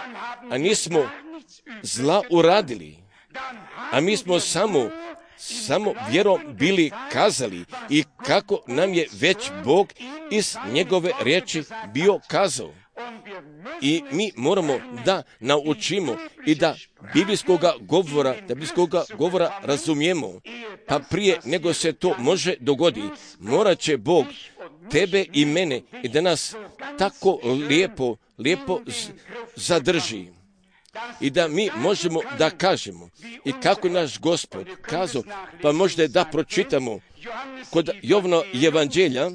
a nismo zla uradili, a mi smo samo vjerom bili kazali i kako nam je već Bog iz njegove riječi bio kazao. I mi moramo da naučimo i da biblijskoga govora razumijemo. Pa prije nego se to može dogoditi, morat će Bog tebe i mene i da nas tako lijepo zadrži. I da mi možemo da kažemo i kako je naš Gospod kazao, pa možda da pročitamo kod Jovana evanđelja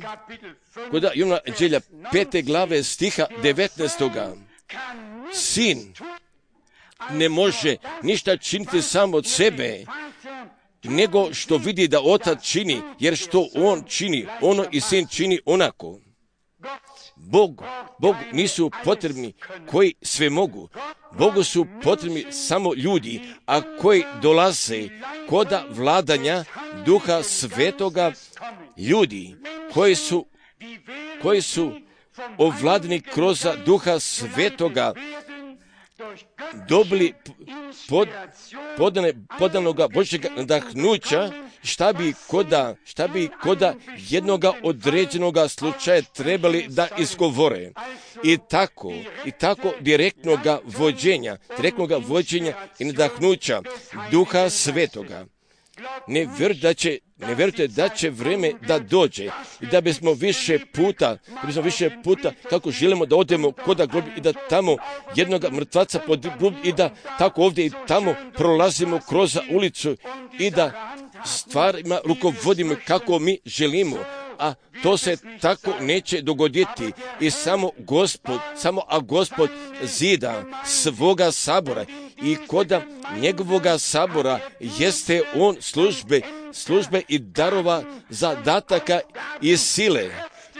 5. glave stiha 19. Sin ne može ništa činiti sam od sebe, nego što vidi da otac čini, jer što on čini, ono i sin čini onako. Bog nisu potrebni koji sve mogu. Bogu su potrebni samo ljudi, a koji dolaze koda vladanja Duha Svetoga, ljudi koji su ovladani kroz Duha Svetoga, dobili podanoga Božjega nadahnuća, šta bi koda jednoga određenoga slučaja trebali da izgovore. I tako direktnoga vođenja i nadahnuća Duha Svetoga. Ne vjerujte da će vreme da dođe i da bismo više puta kako želimo da odemo kod grob i da tamo jednoga mrtvaca pod grob i da tako ovdje i tamo prolazimo kroz ulicu i da stvarima rukovodimo kako mi želimo, a to se tako neće dogoditi i samo Gospod zida svoga sabora i koda njegovoga sabora jeste on službe i darova zadataka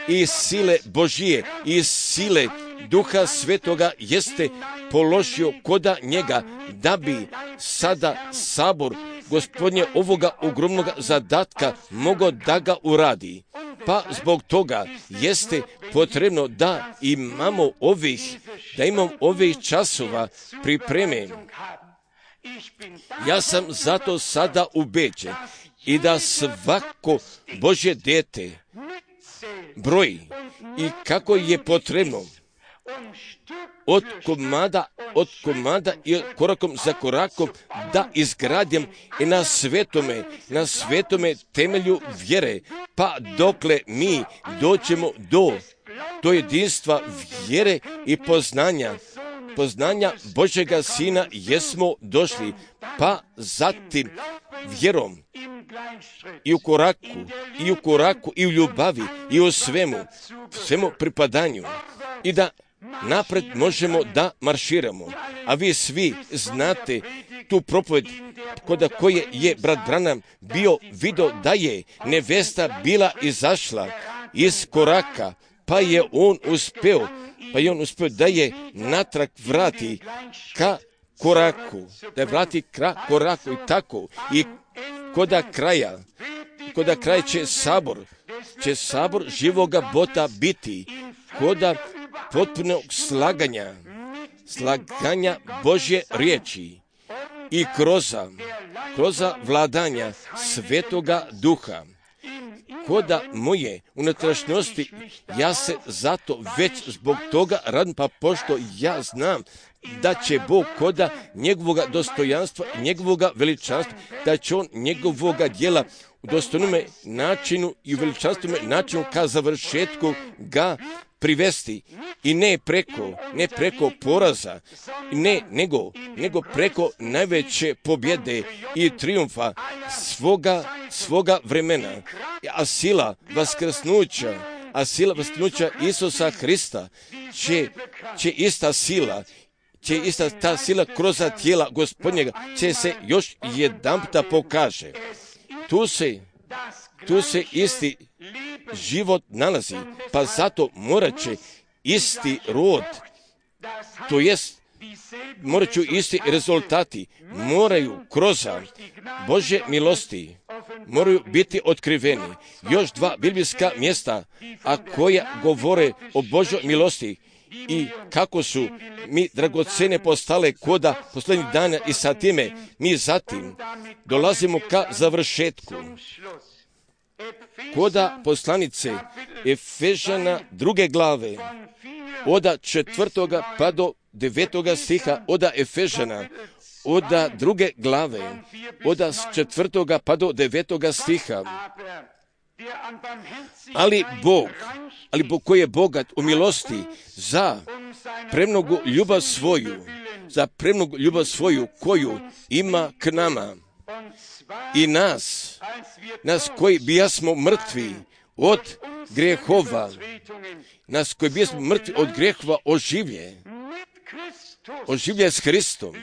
i sile Božije i sile Duha Svetoga jeste položio koda njega, da bi sada sabor Gospodnje ovoga ogromnog zadatka mogao da ga uradi. Pa zbog toga jeste potrebno da imamo ovih časova pripreme. Ja sam zato sada ubeđen i da svako Božje dijete broji i kako je potrebno od komada i korakom za korakom da izgradim i na svetome temelju vjere, pa dokle mi dođemo do jedinstva vjere i poznanja Božjega Sina jesmo došli, pa zatim vjerom i u koraku i u ljubavi i u svemu pripadanju i da napred možemo da marširamo. A vi svi znate tu propoved kod koje je brat Branham bio vidio da je nevesta bila izašla iz koraka, pa je on uspio da je natrag vrati ka koraku, i tako. I koda kraja će sabor živoga Bota biti koda potpunog slaganja Božje riječi i kroz vladanja Svetoga Duha. Koda moje unutrašnjosti, ja se zato već zbog toga radim, pa pošto ja znam da će Bog koda njegovoga dostojanstva, njegovoga veličanstva, da će on njegovoga djela u dostojnome načinu i u veličanstvome načinu ka završetku ga privesti i ne preko poraza, nego preko najveće pobjede i triumfa svoga vremena. A sila vaskrsnuća Isusa Hrista će ista ta sila kroz tijela Gospodnjega će se još jedanputa pokaže. Tu se isti život nalazi, pa zato morat će isti rod, to jest morat ću isti rezultati, moraju kroz Božje milosti, moraju biti otkriveni. Još dva biblijska mjesta, a koja govore o Božjoj milosti i kako su mi dragocene postale koda posljednjih dana i sa time mi zatim dolazimo ka završetku. Koda poslanice Efežana 2. glave, od 4. pa do 9. stiha, od Efežana, od 2. glave, od 4. pa do 9. stiha. Ali Bog koji je bogat u milosti za premnogu ljubav svoju koju ima k nama i nas koji bijasmo mrtvi od grehova, oživlje s Hristom.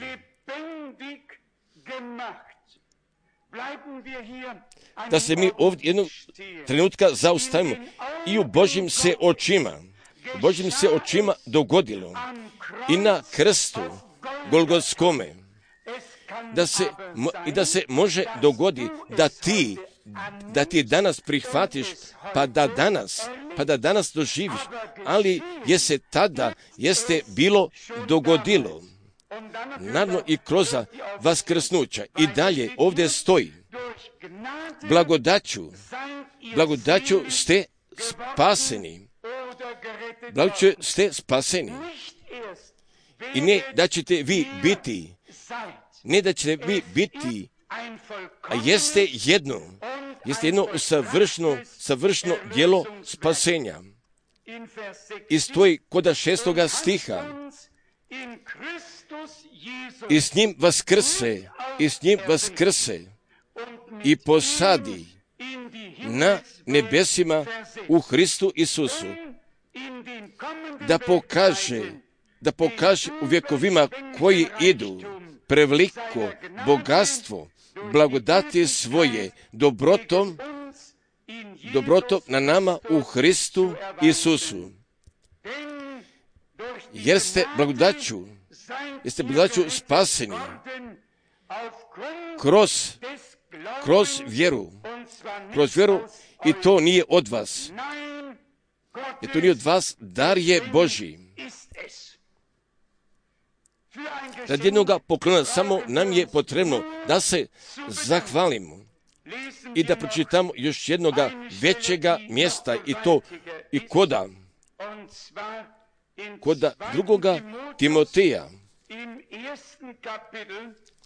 Da se mi ovdje jednog trenutka zaustavimo i u Božjim se očima dogodilo i na krstu Golgotskome da se može dogoditi da ti danas prihvatiš pa da danas doživiš, ali je se tada bilo dogodilo. Naravno i kroz vaskrsnuća i dalje ovdje stoji blagodaću ste spaseni. I ne da ćete vi biti, a jeste jedno savršeno djelo spasenja. I stoji koda 6. stiha. I s njim vaskrse i posadi na nebesima u Hristu Isusu, da pokaže u vjekovima koji idu preveliko bogatstvo blagodati svoje dobrotom na nama u Hristu Isusu. Jer ste blagodaću jeste braćo spaseni kroz vjeru, i to nije od vas. I to nije od vas, dar je Božji. Radi jednoga poklona samo nam je potrebno da se zahvalimo i da pročitamo još jednoga većega mjesta, i to i koda drugoga Timoteja.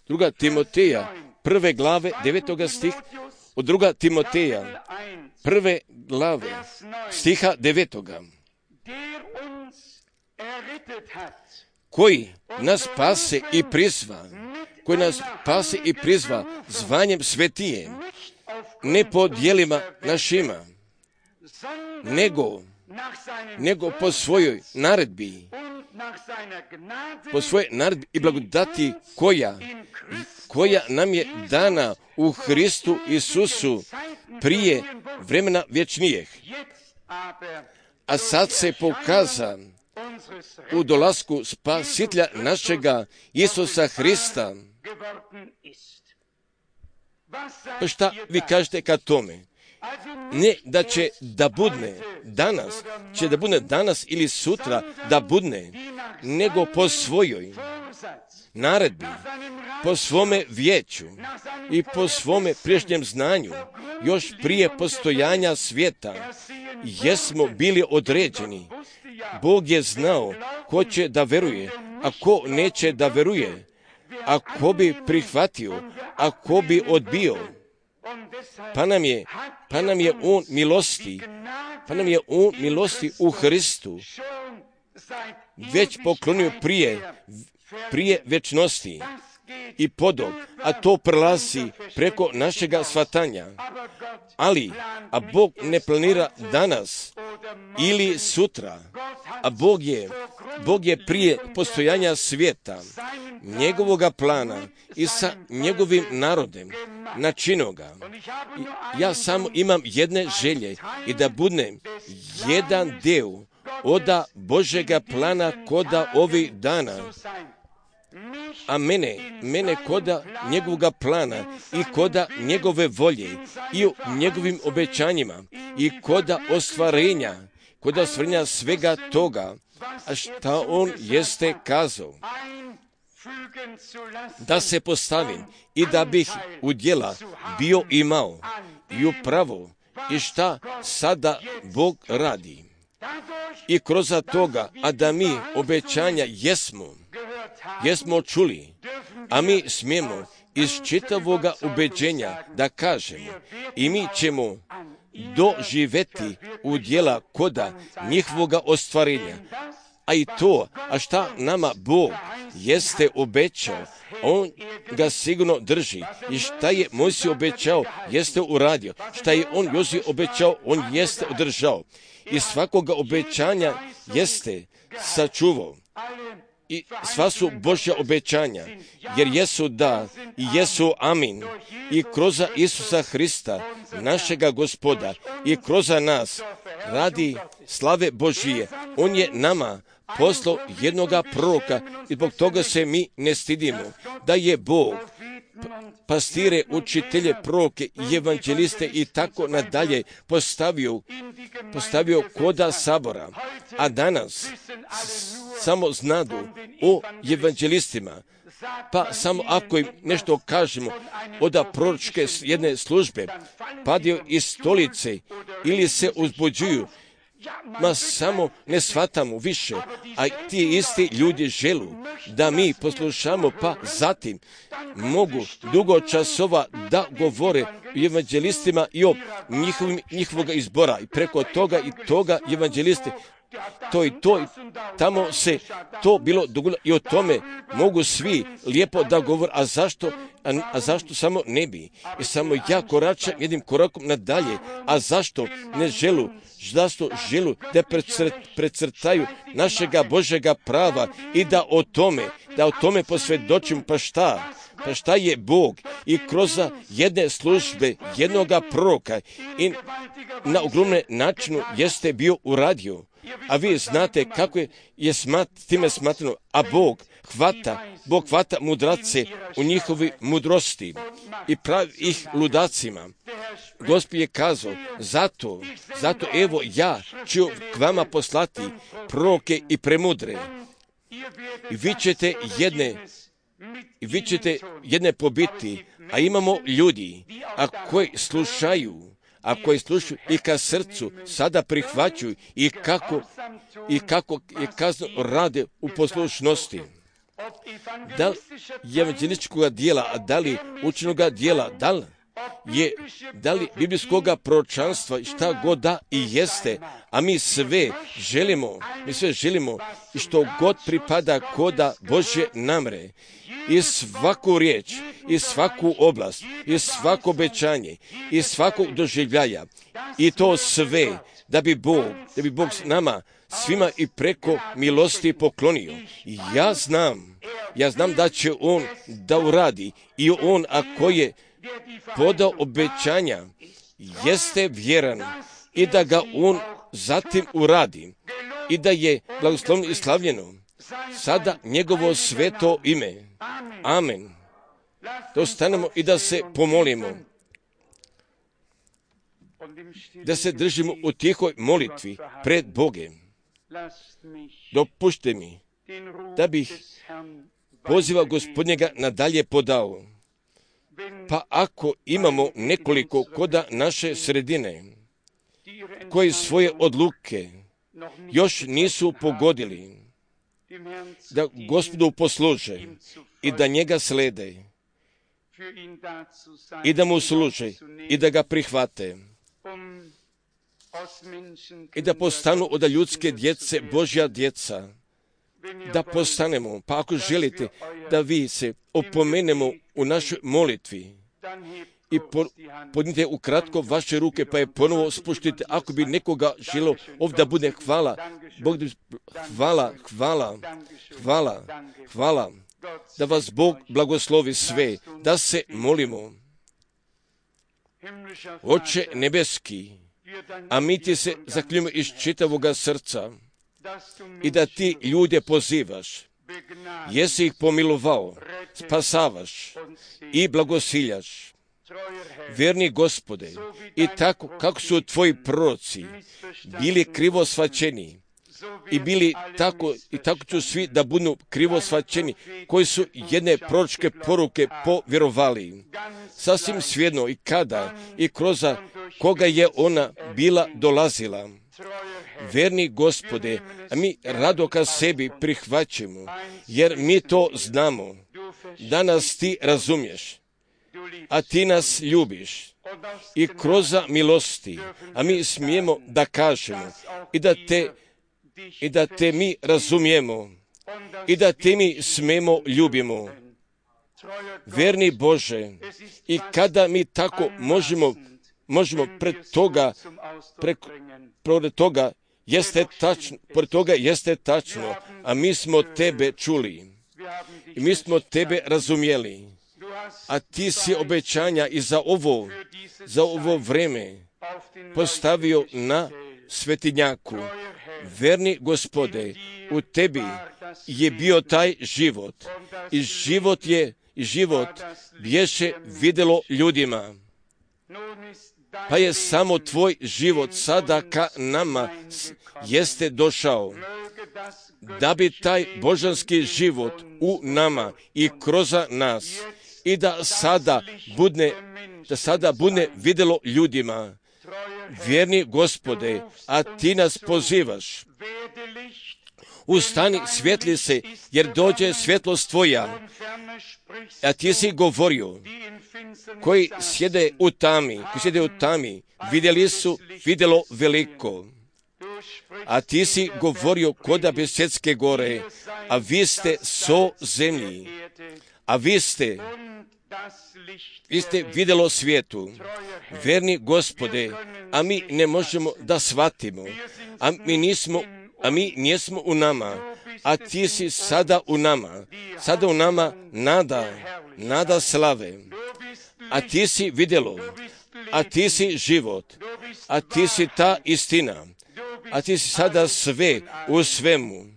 Druga Timoteja, 1. glave, 9. stih, od druga Timoteja, 1. glave, stiha 9. Koji nas spase i prizva zvanjem svetije, ne po djelima našima, nego po svojoj naredbi, i blagodati koja nam je dana u Hristu Isusu prije vremena vječnijeg. A sad se pokaza u dolasku Spasitelja našega Isusa Hrista. Pa šta vi kažete ka tome? Ne da će da budne danas ili sutra da budne, nego po svojoj naredbi, po svome vijeću i po svome priješnjem znanju, još prije postojanja svijeta, jesmo bili određeni. Bog je znao ko će da veruje, a ko neće da veruje, a ko bi prihvatio, a ko bi odbio. Pa nam je on milosti u Hristu već poklonio prije večnosti i podog, a to prelazi preko našega shvatanja. A Bog ne planira danas ili sutra, a Bog je prije postojanja svijeta, njegovoga plana i sa njegovim narodem načinio ga. Ja samo imam jedne želje, i da budem jedan dio oda Božega plana koda ovih dana, a mene koda njegovoga plana i koda njegove volje i u njegovim obećanjima i koda ostvarenja svega toga, a šta on jeste kazao. Da se postavim i da bih u djela bio imao i upravo i šta sada Bog radi. I kroz toga, a da mi obećanja jesmo čuli, a mi smijemo iz čitavoga ubeđenja da kažemo, i mi ćemo doživjeti u djela koda njihovoga ostvarenja. A i to, a šta nama Bog jeste obećao, on ga sigurno drži. I šta je Mojsije obećao, jeste uradio. Šta je on Joziju obećao, on jeste održao. I svakoga obećanja jeste sačuvao. I sva su Božja obećanja, jer jesu da i jesu amin. I kroz Isusa Hrista, našega Gospoda, i kroz nas radi slave Božije. On je nama poslao jednoga proroka i zbog toga se mi ne stidimo. Da je Bog pastire, učitelje, proroke i evanđeliste i tako nadalje postavio koda sabora. A danas samo znadu o evanđelistima. Pa samo ako im nešto kažemo od proročke jedne službe, padaju iz stolice ili se uzbuđuju, samo ne shvatamo više, a ti isti ljudi želu da mi poslušamo, pa zatim mogu dugo časova da govore o evanđelistima i o njihovoga izbora i preko toga i toga evanđeliste. To i tamo se to bilo dogodilo i o tome mogu svi lijepo da govore, a zašto samo ne bi? I samo ja koračam jednim korakom nadalje, a zašto ne želu da precrtaju našega Božega prava i da o tome posvjedočim. Pa šta je Bog i kroz jedne službe, jednoga proroka i na ogromne načinu jeste bio uradio. A vi znate kako je time smatrano, a Bog hvata mudrace u njihovi mudrosti i pravi ih ludacima. Gospod je kazao, zato evo ja ću k vama poslati proroke i premudre. I vi ćete jedne pobiti, a imamo ljudi, koji slušaju i ka srcu sada prihvaćaju i kako je kazno rade u poslušnosti. Da li evanđelističkog dijela, a da li učenoga dijela, da li biblijskoga proročanstva, šta god da i jeste, a mi sve želimo i što god pripada koda Božje namre, i svaku riječ, i svaku oblast, i svako obećanje, i svakog doživljaja, i to sve da bi Bog s nama svima i preko milosti poklonio. Ja znam da će On da uradi, i On ako je podao obećanja, jeste vjeran i da ga On zatim uradi i da je blagoslovno i slavljeno sada njegovo sveto ime. Amen. Da ostanemo i da se pomolimo, da se držimo u tihoj molitvi pred Bogem. Dopušte mi da bih poziva Gospodnjega nadalje podao. Pa ako imamo nekoliko koda naše sredine koji svoje odluke još nisu pogodili, da Gospodu posluže i da njega slede i da mu služe i da ga prihvate i da postanu od ljudske djece Božja djeca, da postanemo. Pa ako želite da vi se opomenemo u našoj molitvi i podnite ukratko vaše ruke, pa je ponovo spuštite. Ako bi nekoga želo ovdje da bude hvala, Bog, hvala, da vas Bog blagoslovi sve, da se molimo. Oče nebeski, a mi ti se zakljujemo iz čitavoga srca i da ti ljude pozivaš, jesi ih pomilovao, spasavaš i blagosiljaš. Vjerni Gospode, i tako kako su tvoji proroci bili krivo shvaćeni i tako ću svi da budu krivo shvaćeni, koji su jedne proročke poruke povjerovali. Sasvim svejedno i kada i kroz koga je ona bila dolazila. Vjerni Gospode, a mi rado ka sebi prihvaćamo, jer mi to znamo, da nas ti razumiješ, a ti nas ljubiš i kroz milosti, a mi smijemo da kažemo i da te mi razumijemo i da te mi smijemo ljubimo. Vjerni Bože, i kada mi tako možemo pored toga jeste tačno, a mi smo tebe čuli i mi smo tebe razumjeli, a ti si obećanja i za ovo vreme postavio na svetinjaku. Verni Gospode, u tebi je bio taj život i život bješe vidjelo ljudima. Pa je samo tvoj život sada ka nama jeste došao, da bi taj božanski život u nama i kroz nas i da sada bude vidjelo ljudima. Vjerni Gospode, a ti nas pozivaš. Ustani, svjetli se, jer dođe svjetlost tvoja. A ti si govorio, koji sjede u tami, vidjeli su vidjelo veliko. A ti si govorio koda Besjetske gore, a vi ste so zemlji, a vi ste vidjelo svijetu. Verni Gospode, a mi ne možemo da shvatimo, a mi nismo u nama, a ti si sada u nama nada slave, a ti si vidjelo, a ti si život, a ti si ta istina, a ti si sada sve u svemu.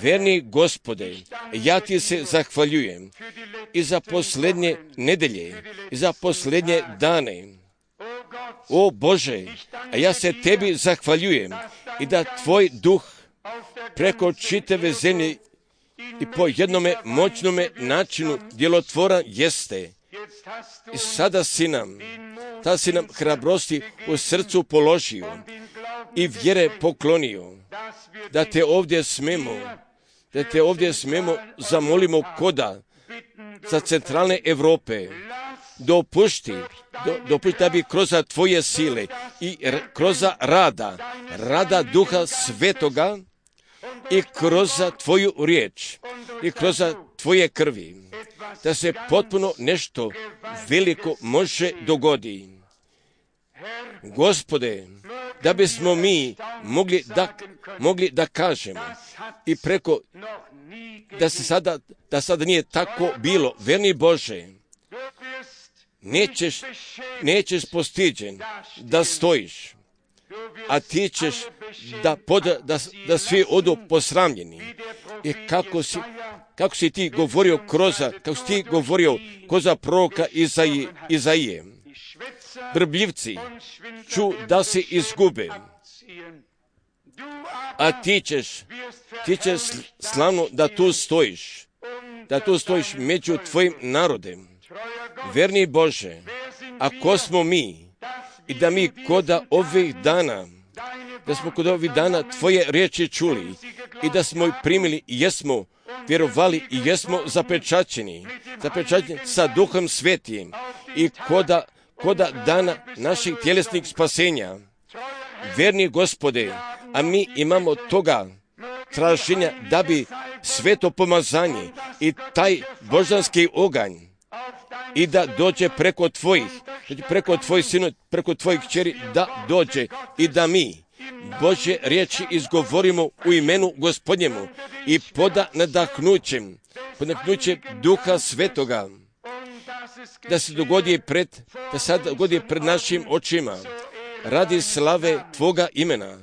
Verni Gospode, ja ti se zahvaljujem i za posljednje nedelje, i za posljednje dane. O Bože, a ja se tebi zahvaljujem i da tvoj duh preko čitave zemlje i po jednome moćnome načinu djelotvoran jeste. I sada si nam hrabrosti u srcu položio i vjere poklonio, da te ovdje smemo zamolimo koda za centralne Europe. Dopušti da bi kroz tvoje sile i kroz rada Duha Svetoga i kroz tvoju riječ i kroz tvoje krvi, da se potpuno nešto veliko može dogoditi. Gospode, da bismo mi mogli da kažemo i preko da sada nije tako bilo. Verni Bože, nećeš postiđen da stojiš, a ti ćeš da svi odu posramljeni. I kako si ti govorio kroz proroka Izaije, brbljivci ću da se izgube, a ti ćeš slavno da tu stojiš među tvojim narodem. Verni Bože, ako smo mi i da mi kod ovih dana tvoje riječi čuli i da smo ih primili i jesmo vjerovali i jesmo zapečaćeni sa Duhom Svetim i koda dana naših tjelesnih spasenja. Verni Gospode, a mi imamo toga traženja da bi sveto pomazanje i taj božanski oganj i da dođe preko tvojih sinu, preko tvojih kćeri, da dođe i da mi Božje riječi izgovorimo u imenu Gospodnjemu i pod nadahnućem Duha Svetoga, da se dogodi pred našim očima radi slave tvoga imena.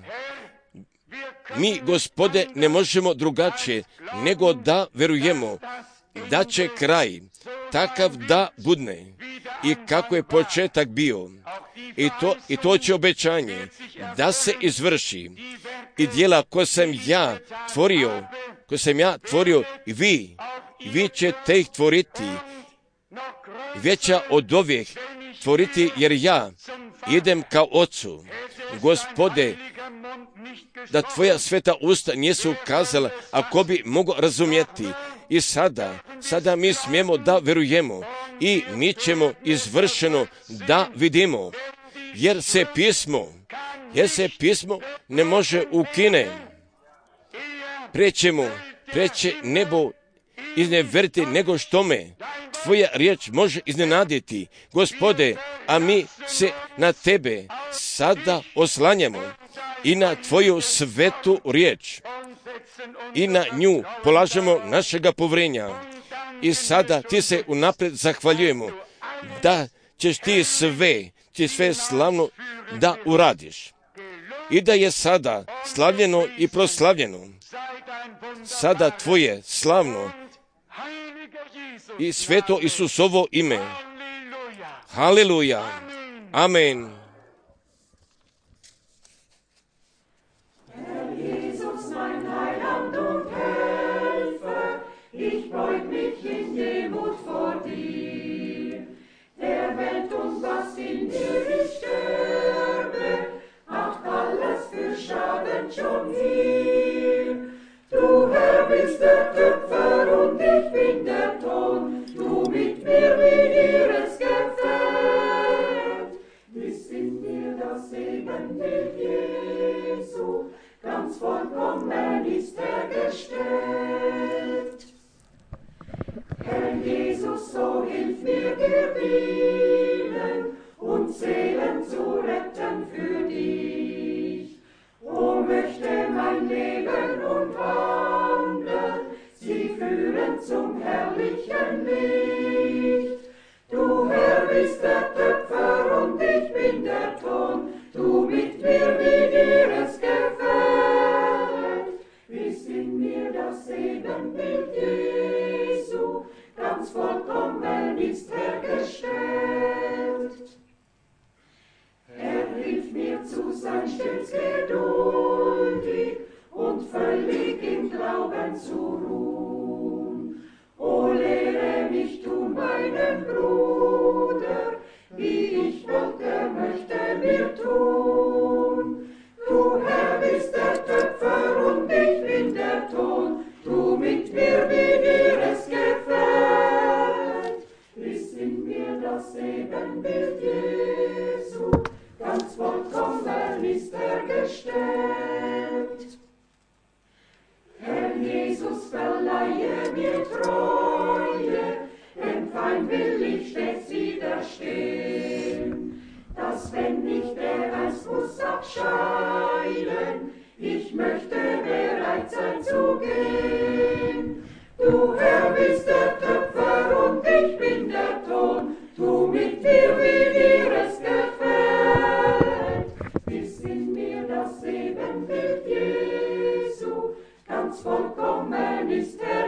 Mi, Gospode, ne možemo drugačije nego da verujemo da će kraj takav da budne i kako je početak bio. I to će obećanje da se izvrši. I djela koje sam ja tvorio i vi ćete ih tvoriti, veća od ovih tvoriti, jer ja idem kao Ocu. Gospode, da tvoja sveta usta nisu kazala, ako bi mogao razumjeti. I sada mi smijemo da verujemo i mi ćemo izvršeno da vidimo, jer se pismo ne može ukine. Preće nebo izneveriti nego što me tvoja riječ može iznenaditi. Gospode, a mi se na tebe sada oslanjamo i na tvoju svetu riječ i na nju polažemo našega povrenja. I sada ti se unaprijed zahvaljujemo da ćeš ti sve slavno da uradiš i da je sada slavljeno i proslavljeno sada tvoje slavno i sveto Isusovo ime. Haleluja. Amen. Schon viel. Du Herr bist der Töpfer und ich bin der Ton, du mit mir wie ihres Gefällt. Ist in mir das Ebenbild Jesu, ganz vollkommen ist gestellt. Herr Jesus, so hilf mir dir dienen und Seelen zu retten für dich. O möchte mein Leben und Wandeln sie führen zum herrlichen Licht. Du Herr bist der Töpfer und ich bin der Ton, du mit mir wie dir es gefällt. Herrn zu ruhen. O lehre mich du, meinen Bruder, wie ich wollte, möchte mir tun. Du Herr bist der Töpfer und ich bin der Ton, tu mit mir, wie dir es gefällt. Ist in mir das Ebenbild Jesu, ganz vollkommen ist er gestellt. Herr Jesus, verleihe mir Treue, dem Feind will ich stets widerstehen, dass wenn ich der einst muss abscheiden, ich möchte bereit sein zu gehen. Du Herr bist der Töpfer und ich bin der Ton, tu mit mir, wie dir es gefällt. Ist in mir das Ebenbild Jesu, ganz vollkommen ist er